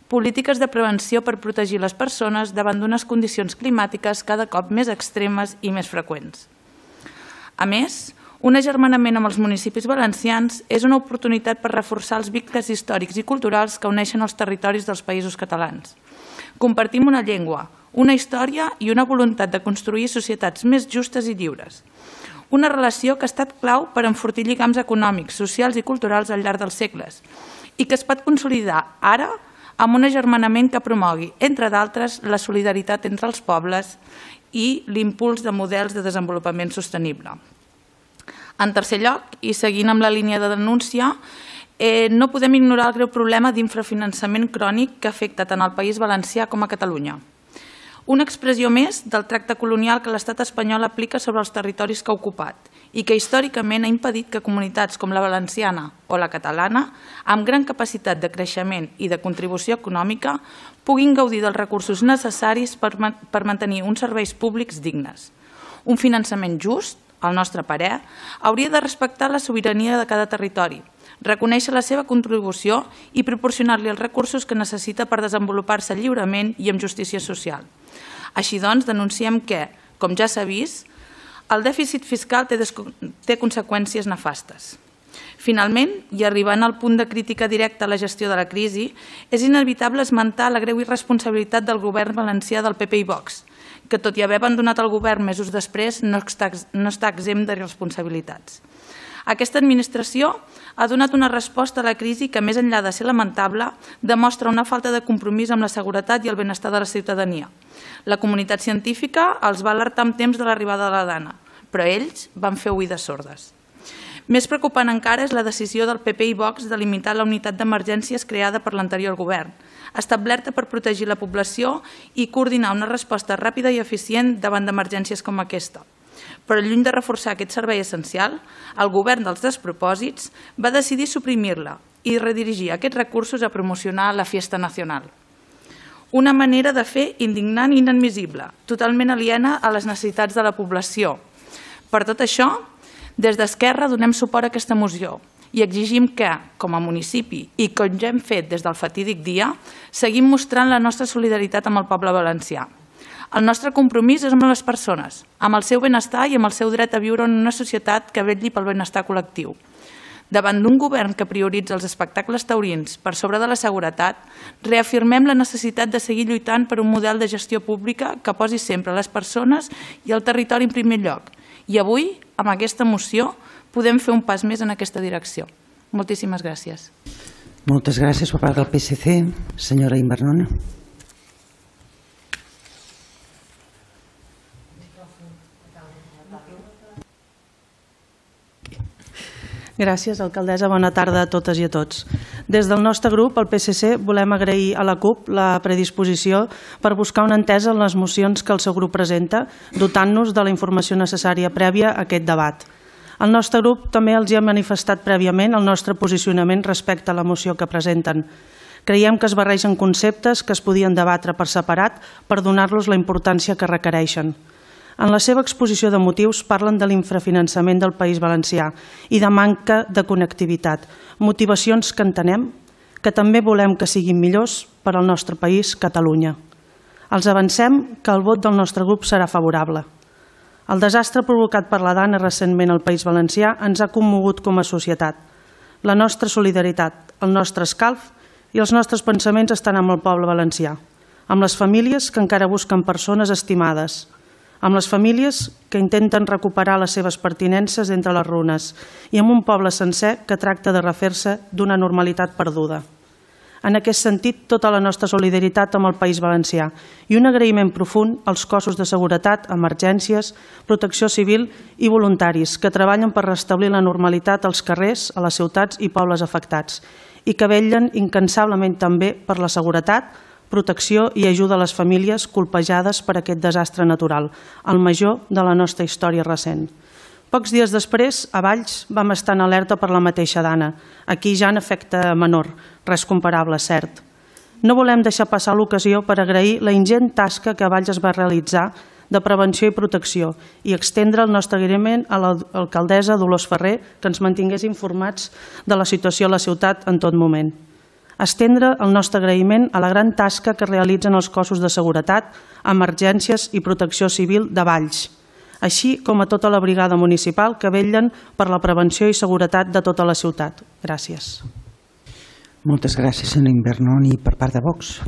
polítiques de prevenció per protegir les persones davant d'unes condicions climàtiques cada cop més extremes i més freqüents. A més, un agermanament amb els municipis valencians és una oportunitat per reforçar els vincles històrics i culturals que uneixen els territoris dels països catalans. Compartim una llengua, una història i una voluntat de construir societats més justes i lliures. Una relació que ha estat clau per enfortir lligams econòmics, socials i culturals al llarg dels segles i que es pot consolidar ara amb un agermanament que promogui, entre d'altres, la solidaritat entre els pobles i l'impuls de models de desenvolupament sostenible. En tercer lloc, i seguint amb la línia de denúncia, no podem ignorar el greu problema d'infrafinançament crònic que afecta tant el País Valencià com a Catalunya. Una expressió més del tracte colonial que l'estat espanyol aplica sobre els territoris que ha ocupat i que històricament ha impedit que comunitats com la valenciana o la catalana, amb gran capacitat de creixement i de contribució econòmica, puguin gaudir dels recursos necessaris per mantenir uns serveis públics dignes. Un finançament just, al nostre parer, hauria de respectar la sobirania de cada territori, reconèixer la seva contribució i proporcionar-li els recursos que necessita per desenvolupar-se lliurement i amb justícia social. Així doncs, denunciem que, com ja s'ha vist, el dèficit fiscal té conseqüències nefastes. Finalment, i arribant al punt de crítica directa a la gestió de la crisi, és inevitable esmentar la greu irresponsabilitat del govern valencià del P P i Vox, que tot i haver abandonat el govern mesos després no està exempt de responsabilitats. Aquesta administració ha donat una resposta a la crisi que, més enllà de ser lamentable, demostra una falta de compromís amb la seguretat i el benestar de la ciutadania. La comunitat científica els va alertar amb temps de l'arribada de la Dana, però ells van fer oïdes sordes. Més preocupant encara és la decisió del P P i Vox de limitar la unitat d'emergències creada per l'anterior govern, establerta per protegir la població i coordinar una resposta ràpida i eficient davant d'emergències com aquesta. Però lluny de reforçar aquest servei essencial, el govern dels despropòsits va decidir suprimir-la i redirigir aquests recursos a promocionar la Fiesta Nacional. Una manera de fer indignant i inadmissible, totalment aliena a les necessitats de la població. Per tot això, des d'Esquerra donem suport a aquesta moció i exigim que, com a municipi i com ja hem fet des del fatídic dia, seguim mostrant la nostra solidaritat amb el poble valencià. El nostre compromís és amb les persones, amb el seu benestar i amb el seu dret a viure en una societat que vetlli pel benestar col·lectiu. Davant d'un govern que prioritza els espectacles taurins per sobre de la seguretat, reafirmem la necessitat de seguir lluitant per un model de gestió pública que posi sempre les persones i el territori en primer lloc. I avui, amb aquesta moció, podem fer un pas més en aquesta direcció. Moltíssimes gràcies. Moltes gràcies per part del P S C. Senyora Invernona. Gràcies, alcaldessa. Bona tarda a totes i a tots. Des del nostre grup, el P S C, volem agrair a la CUP la predisposició per buscar una entesa en les mocions que el seu grup presenta, dotant-nos de la informació necessària prèvia a aquest debat. El nostre grup també els hi ha manifestat prèviament el nostre posicionament respecte a la moció que presenten. Creiem que es barregen conceptes que es podien debatre per separat per donar-los la importància que requereixen. En la seva exposició de motius parlen de l'infrafinançament del País Valencià i de manca de connectivitat, motivacions que entenem, que també volem que siguin millors per al nostre país, Catalunya. Els avancem que el vot del nostre grup serà favorable. El desastre provocat per la Dana recentment al País Valencià ens ha commogut com a societat. La nostra solidaritat, el nostre escalf i els nostres pensaments estan amb el poble valencià, amb les famílies que encara busquen persones estimades, amb les famílies que intenten recuperar les seves pertinences entre les runes i amb un poble sencer que tracta de refer-se d'una normalitat perduda. En aquest sentit, tota la nostra solidaritat amb el País Valencià i un agraïment profund als cossos de seguretat, emergències, protecció civil i voluntaris que treballen per restablir la normalitat als carrers, a les ciutats i pobles afectats i que vetllen incansablement també per la seguretat, protecció i ajuda a les famílies colpejades per aquest desastre natural, el major de la nostra història recent. Pocs dies després, a Valls, vam estar en alerta per la mateixa Dana. Aquí ja en efecte menor, res comparable, cert. No volem deixar passar l'ocasió per agrair la ingent tasca que a Valls es va realitzar de prevenció i protecció i extendre el nostre agraïment a l'alcaldessa Dolors Ferrer que ens mantingués informats de la situació a la ciutat en tot moment. Estendre el nostre agraïment a la gran tasca que realitzen els cossos de seguretat, emergències i protecció civil de Valls, així com a tota la brigada municipal que vetllen per la prevenció i seguretat de tota la ciutat. Gràcies. Moltes gràcies, señor Invernón. Y por parte de Vox.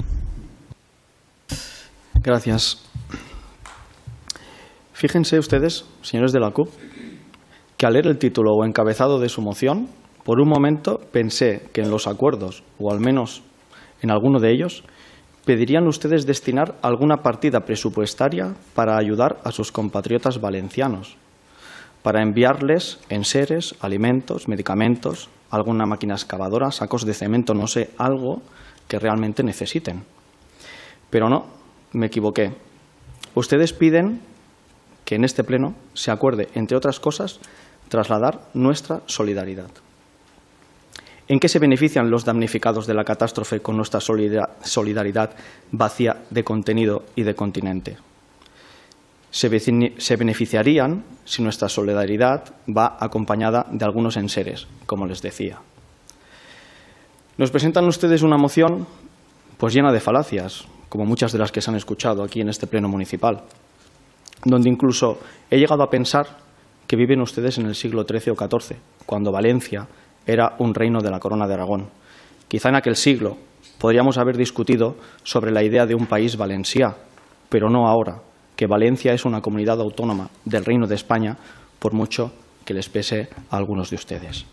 Gracias. Fíjense ustedes, señores de la CUP, que al leer el título o encabezado de su moción, por un momento pensé que en los acuerdos, o al menos en alguno de ellos, pedirían ustedes destinar alguna partida presupuestaria para ayudar a sus compatriotas valencianos, para enviarles enseres, alimentos, medicamentos, alguna máquina excavadora, sacos de cemento, no sé, algo que realmente necesiten. Pero no, me equivoqué. Ustedes piden que en este pleno se acuerde, entre otras cosas, trasladar nuestra solidaridad. ¿En qué se benefician los damnificados de la catástrofe con nuestra solidaridad vacía de contenido y de continente? Se beneficiarían si nuestra solidaridad va acompañada de algunos enseres, como les decía. Nos presentan ustedes una moción pues llena de falacias, como muchas de las que se han escuchado aquí en este pleno municipal, donde incluso he llegado a pensar que viven ustedes en el siglo trece o catorce, cuando Valencia era un reino de la Corona de Aragón. Quizá en aquel siglo podríamos haber discutido sobre la idea de un país valencià, pero no ahora, que Valencia es una comunidad autónoma del Reino de España, por mucho que les pese a algunos de ustedes.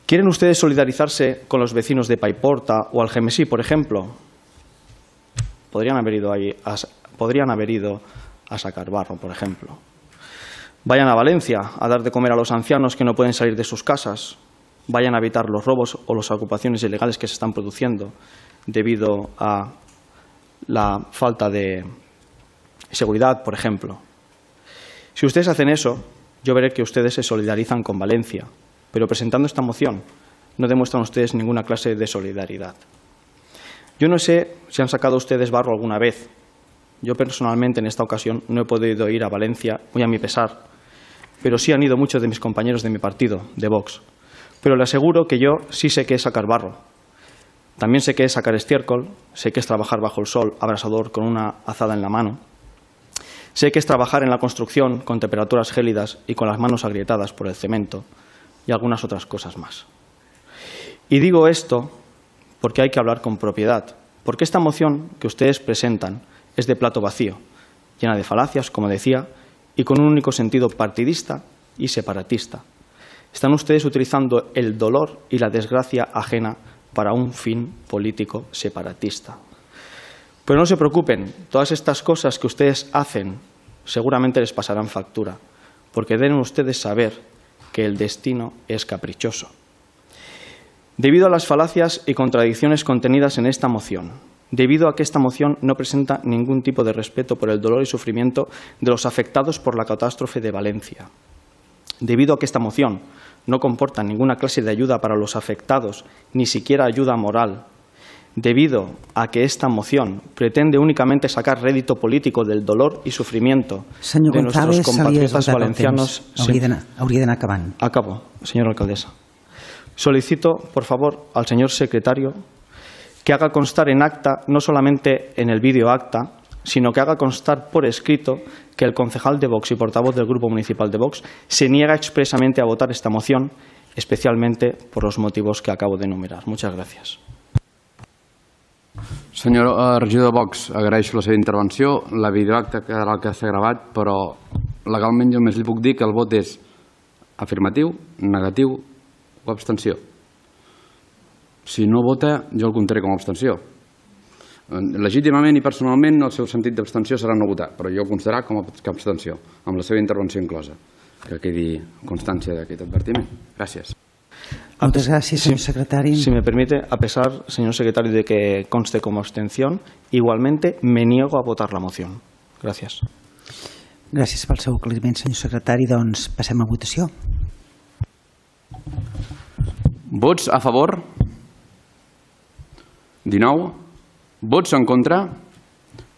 ¿Quieren ustedes solidarizarse con los vecinos de Paiporta o Algemesí, por ejemplo? Podrían haber ido ahí a, podrían haber ido a sacar barro, por ejemplo. Vayan a Valencia a dar de comer a los ancianos que no pueden salir de sus casas. Vayan a evitar los robos o las ocupaciones ilegales que se están produciendo debido a la falta de seguridad, por ejemplo. Si ustedes hacen eso, yo veré que ustedes se solidarizan con Valencia, pero presentando esta moción no demuestran ustedes ninguna clase de solidaridad. Yo no sé si han sacado ustedes barro alguna vez. Yo personalmente en esta ocasión no he podido ir a Valencia, muy a mi pesar, pero sí han ido muchos de mis compañeros de mi partido, de Vox. Pero le aseguro que yo sí sé qué es sacar barro. También sé qué es sacar estiércol, sé qué es trabajar bajo el sol abrasador con una azada en la mano. Sé que es trabajar en la construcción con temperaturas gélidas y con las manos agrietadas por el cemento y algunas otras cosas más. Y digo esto porque hay que hablar con propiedad, porque esta moción que ustedes presentan es de plato vacío, llena de falacias, como decía, y con un único sentido partidista y separatista. Están ustedes utilizando el dolor y la desgracia ajena para un fin político separatista. Pero no se preocupen, todas estas cosas que ustedes hacen seguramente les pasarán factura, porque deben ustedes saber que el destino es caprichoso. Debido a las falacias y contradicciones contenidas en esta moción, debido a que esta moción no presenta ningún tipo de respeto por el dolor y sufrimiento de los afectados por la catástrofe de Valencia, debido a que esta moción no comporta ninguna clase de ayuda para los afectados, ni siquiera ayuda moral, debido a que esta moción pretende únicamente sacar rédito político del dolor y sufrimiento Senyor de González, nuestros compatriotas valencianos. Hauria d'anar acabant. Acabo, señora alcaldesa. Solicito, por favor, al señor secretario que haga constar en acta, no solamente en el vídeo acta, sino que haga constar por escrito que el concejal de Vox y portavoz del Grupo Municipal de Vox se niega expresamente a votar esta moción, especialmente por los motivos que acabo de enumerar. Muchas gracias. Senyor eh, regidor de Vox, agraeixo la seva intervenció. La videoacta quedarà el que s'ha gravat, però legalment jo només li puc dir que el vot és afirmatiu, negatiu o abstenció. Si no vota, jo el comptaré com a abstenció. Legítimament i personalment el seu sentit d'abstenció serà no votar, però jo el considerarà com a abstenció, amb la seva intervenció inclosa. Que quedi constància d'aquest advertiment. Gràcies. Muchas gracias, señor secretario. Si me permite, a pesar, señor secretario, de que conste como abstención, igualmente me niego a votar la moción. Gracias. Gràcies pel seu aclariment, senyor secretari. Doncs passem a votació. Vots a favor? dinou. Vots en contra?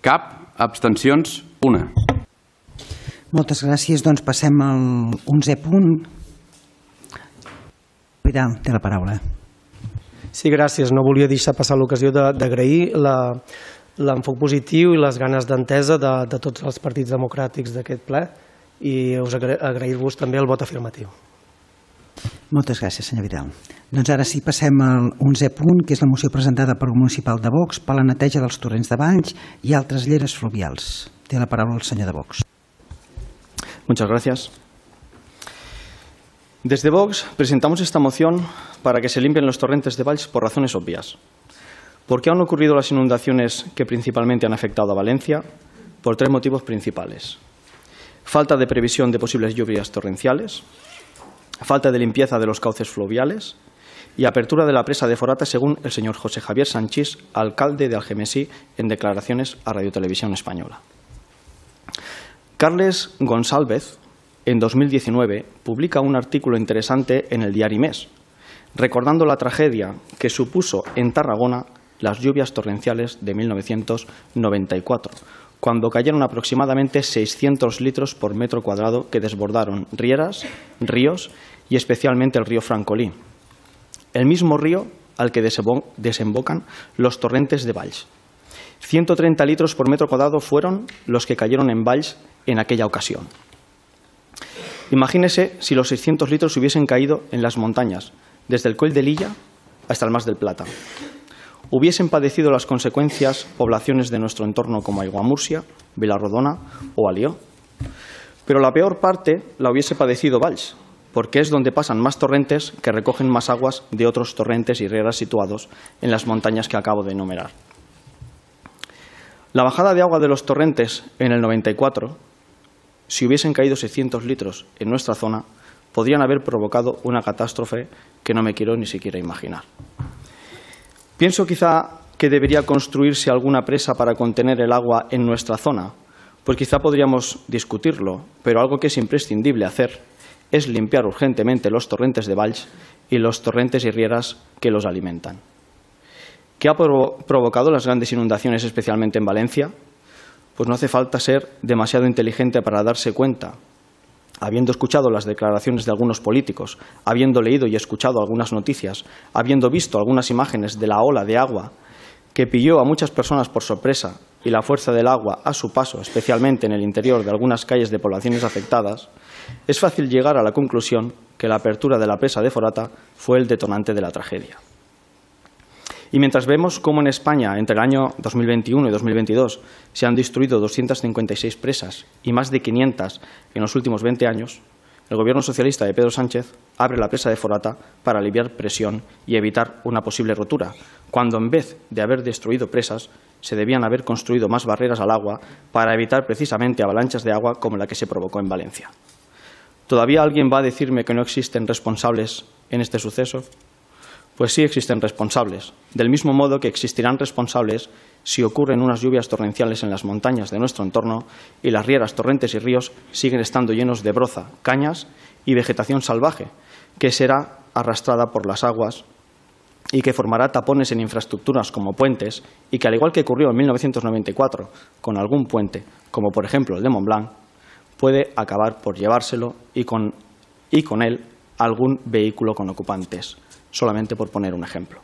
Cap. Abstencions? Una. Moltes gràcies. Doncs passem al onzè punt. Vidal, té la paraula. Sí, gràcies. No volia deixar passar l'ocasió d'agrair l'enfoc positiu i les ganes d'entesa de, de tots els partits democràtics d'aquest ple i us agrair-vos també el vot afirmatiu. Moltes gràcies, senyor Vidal. Doncs ara sí, passem al onzè punt, que és la moció presentada per el municipal de Vox per la neteja dels torrents de Valls i altres lleres fluvials. Té la paraula el senyor de Vox. Muchas gracias. Desde Vox presentamos esta moción para que se limpien los torrentes de Valls por razones obvias. ¿Por qué han ocurrido las inundaciones que principalmente han afectado a Valencia? Por tres motivos principales. Falta de previsión de posibles lluvias torrenciales, falta de limpieza de los cauces fluviales y apertura de la presa de Forata, según el señor José Javier Sanchís, alcalde de Algemesí, en declaraciones a Radio Televisión Española. Carles González en dos mil diecinueve, publica un artículo interesante en el diario Mes, recordando la tragedia que supuso en Tarragona las lluvias torrenciales de mil novecientos noventa y cuatro, cuando cayeron aproximadamente seiscientos litros por metro cuadrado que desbordaron rieras, ríos y especialmente el río Francolí, el mismo río al que desembocan los torrentes de Valls. ciento treinta litros por metro cuadrado fueron los que cayeron en Valls en aquella ocasión. Imagínese si los seiscientos litros hubiesen caído en las montañas, desde el Coll de Lilla hasta el Mas del Plata. Hubiesen padecido las consecuencias poblaciones de nuestro entorno como Aiguamurcia, Vilarrodona o Alió. Pero la peor parte la hubiese padecido Valls, porque es donde pasan más torrentes que recogen más aguas de otros torrentes y rieras situados en las montañas que acabo de enumerar. La bajada de agua de los torrentes en el noventa y cuatro, si hubiesen caído seiscientos litros en nuestra zona, podrían haber provocado una catástrofe que no me quiero ni siquiera imaginar. Pienso quizá que debería construirse alguna presa para contener el agua en nuestra zona, pues quizá podríamos discutirlo, pero algo que es imprescindible hacer es limpiar urgentemente los torrentes de Valls y los torrentes y rieras que los alimentan. ¿Qué ha provo- provocado las grandes inundaciones, especialmente en Valencia? Pues no hace falta ser demasiado inteligente para darse cuenta. Habiendo escuchado las declaraciones de algunos políticos, habiendo leído y escuchado algunas noticias, habiendo visto algunas imágenes de la ola de agua que pilló a muchas personas por sorpresa y la fuerza del agua a su paso, especialmente en el interior de algunas calles de poblaciones afectadas, es fácil llegar a la conclusión que la apertura de la presa de Forata fue el detonante de la tragedia. Y mientras vemos cómo en España, entre el año dos mil veintiuno y dos mil veintidós, se han destruido doscientas cincuenta y seis presas y más de quinientas en los últimos veinte años, el Gobierno socialista de Pedro Sánchez abre la presa de Forata para aliviar presión y evitar una posible rotura, cuando en vez de haber destruido presas, se debían haber construido más barreras al agua para evitar precisamente avalanchas de agua como la que se provocó en Valencia. ¿Todavía alguien va a decirme que no existen responsables en este suceso? Pues sí existen responsables, del mismo modo que existirán responsables si ocurren unas lluvias torrenciales en las montañas de nuestro entorno y las rieras, torrentes y ríos siguen estando llenos de broza, cañas y vegetación salvaje, que será arrastrada por las aguas y que formará tapones en infraestructuras como puentes y que, al igual que ocurrió en mil novecientos noventa y cuatro con algún puente, como por ejemplo el de Montblanc, puede acabar por llevárselo y con, y con él algún vehículo con ocupantes, solamente por poner un ejemplo.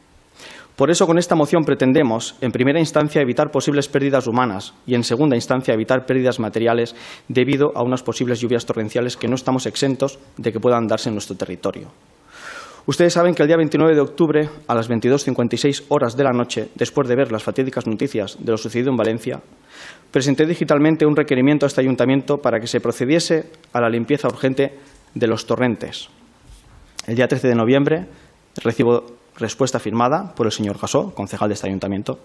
Por eso, con esta moción pretendemos, en primera instancia, evitar posibles pérdidas humanas y, en segunda instancia, evitar pérdidas materiales debido a unas posibles lluvias torrenciales que no estamos exentos de que puedan darse en nuestro territorio. Ustedes saben que el día veintinueve de octubre, a las veintidós cincuenta y seis horas de la noche, después de ver las fatídicas noticias de lo sucedido en Valencia, presenté digitalmente un requerimiento a este ayuntamiento para que se procediese a la limpieza urgente de los torrentes. El día trece de noviembre recibo respuesta firmada por el señor Gasó, concejal de este ayuntamiento,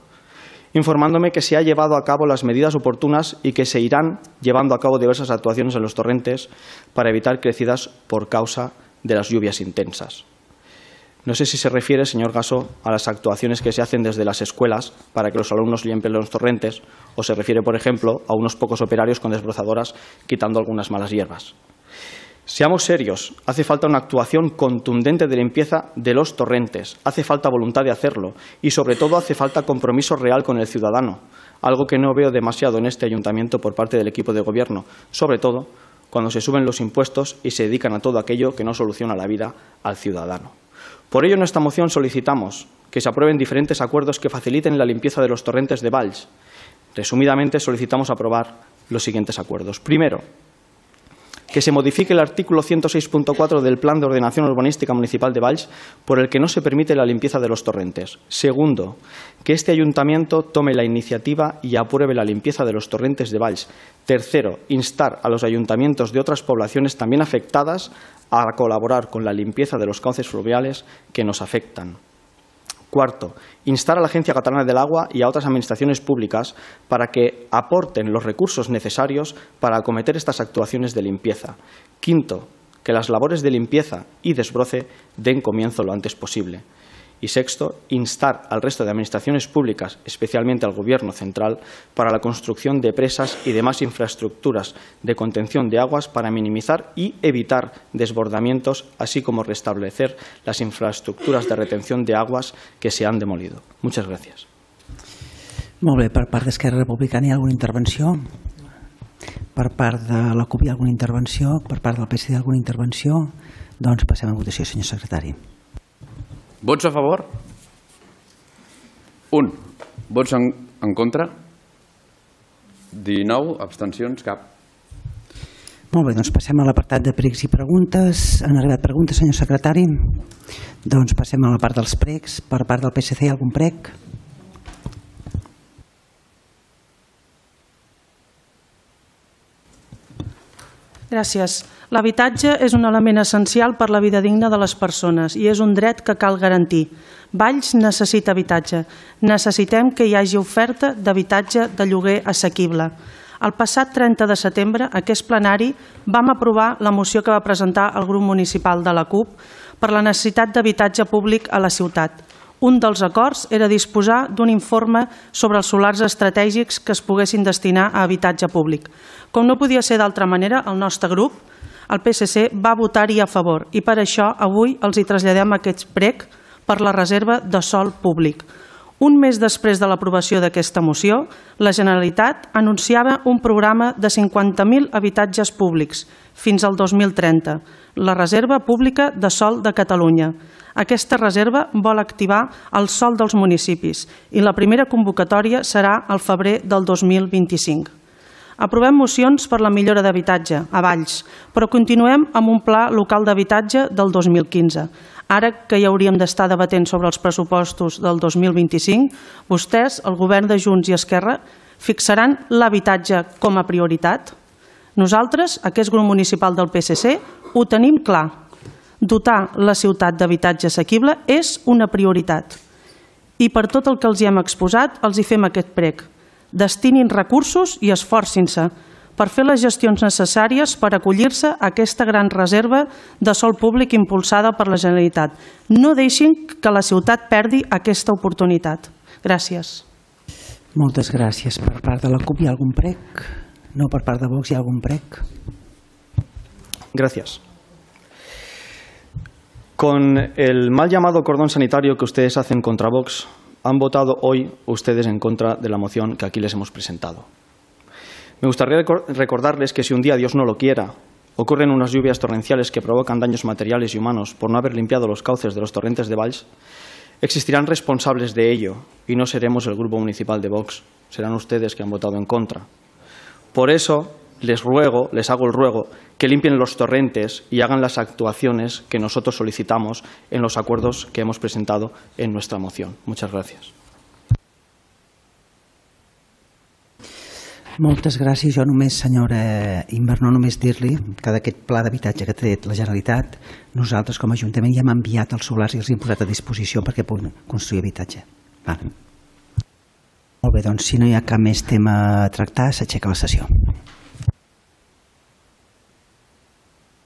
informándome que se han llevado a cabo las medidas oportunas y que se irán llevando a cabo diversas actuaciones en los torrentes para evitar crecidas por causa de las lluvias intensas. No sé si se refiere, señor Gasó, a las actuaciones que se hacen desde las escuelas para que los alumnos limpien los torrentes, o se refiere, por ejemplo, a unos pocos operarios con desbrozadoras quitando algunas malas hierbas. Seamos serios, hace falta una actuación contundente de limpieza de los torrentes, hace falta voluntad de hacerlo y, sobre todo, hace falta compromiso real con el ciudadano, algo que no veo demasiado en este ayuntamiento por parte del equipo de gobierno, sobre todo cuando se suben los impuestos y se dedican a todo aquello que no soluciona la vida al ciudadano. Por ello, en esta moción solicitamos que se aprueben diferentes acuerdos que faciliten la limpieza de los torrentes de Valls. Resumidamente, solicitamos aprobar los siguientes acuerdos. Primero, que se modifique el artículo ciento seis punto cuatro del Plan de Ordenación Urbanística Municipal de Valls, por el que no se permite la limpieza de los torrentes. Segundo, que este ayuntamiento tome la iniciativa y apruebe la limpieza de los torrentes de Valls. Tercero, instar a los ayuntamientos de otras poblaciones también afectadas a colaborar con la limpieza de los cauces fluviales que nos afectan. Cuarto, instar a la Agencia Catalana del Agua y a otras administraciones públicas para que aporten los recursos necesarios para acometer estas actuaciones de limpieza. Quinto, que las labores de limpieza y desbroce den comienzo lo antes posible. Y sexto, instar al resto de administraciones públicas, especialmente al Gobierno central, para la construcción de presas y demás infraestructuras de contención de aguas para minimizar y evitar desbordamientos, así como restablecer las infraestructuras de retención de aguas que se han demolido. Muchas gracias. Molt bé, per part d'Esquerra Republicana hi ha alguna intervenció? Per part de la CUP hi ha alguna intervenció? Per part del P S C alguna intervenció? Doncs passem a votació, senyor secretari. Vots a favor? Un. Vots en, en contra? dinou. Abstencions? Cap. Molt bé, doncs passem a l'apartat de pregs i preguntes. Han arribat preguntes, senyor secretari? Doncs passem a la part dels pregs. Per part del P S C hi ha algun preg? Gràcies. L'habitatge és un element essencial per la vida digna de les persones i és un dret que cal garantir. Valls necessita habitatge. Necessitem que hi hagi oferta d'habitatge de lloguer assequible. El passat trenta de setembre, a aquest plenari, vam aprovar la moció que va presentar el grup municipal de la CUP per la necessitat d'habitatge públic a la ciutat. Un dels acords era disposar d'un informe sobre els solars estratègics que es poguessin destinar a habitatge públic. Com no podia ser d'altra manera, el nostre grup, el P S C, va votar-hi a favor i per això avui els hi traslladem aquest prec per la reserva de sòl públic. Un mes després de l'aprovació d'aquesta moció, la Generalitat anunciava un programa de cinquanta mil habitatges públics fins al dos mil trenta, la Reserva Pública de Sòl de Catalunya. Aquesta reserva vol activar el sòl dels municipis i la primera convocatòria serà al febrer del dos mil vint-i-cinc. Aprovem mocions per la millora d'habitatge a Valls, però continuem amb un pla local d'habitatge del dos mil quinze. Ara que ja hauríem d'estar debatent sobre els pressupostos del dos mil vint-i-cinc, vostès, el govern de Junts i Esquerra, fixaran l'habitatge com a prioritat? Nosaltres, aquest grup municipal del P S C, ho tenim clar. Dotar la ciutat d'habitatge assequible és una prioritat. I per tot el que els hi hem exposat, els hi fem aquest prec. Destinin recursos i esforcin-se per fer les gestions necessàries per acollir-se a aquesta gran reserva de sòl públic impulsada per la Generalitat. No deixin que la ciutat perdi aquesta oportunitat. Gràcies. Moltes gràcies. Per part de la CUP hi ha algun prec? No, per part de Vox hi ha algun prec? Gracias. Con el mal llamado cordón sanitario que ustedes hacen contra Vox, han votado hoy ustedes en contra de la moción que aquí les hemos presentado. Me gustaría recordarles que si un día, Dios no lo quiera, ocurren unas lluvias torrenciales que provocan daños materiales y humanos por no haber limpiado los cauces de los torrentes de Valls, existirán responsables de ello y no seremos el grupo municipal de Vox, serán ustedes que han votado en contra. Por eso les ruego, les hago el ruego, que limpien los torrentes y hagan las actuaciones que nosotros solicitamos en los acuerdos que hemos presentado en nuestra moción. Muchas gracias. Moltes gràcies. Jo només, senyora Inverno, només dir-li que d'aquest pla d'habitatge que ha tret la Generalitat, nosaltres com a Ajuntament ja hem enviat els solars i els hem posat a disposició perquè puguin construir habitatge. Vale. Molt bé, doncs si no hi ha cap més tema a tractar, s'aixeca la sessió.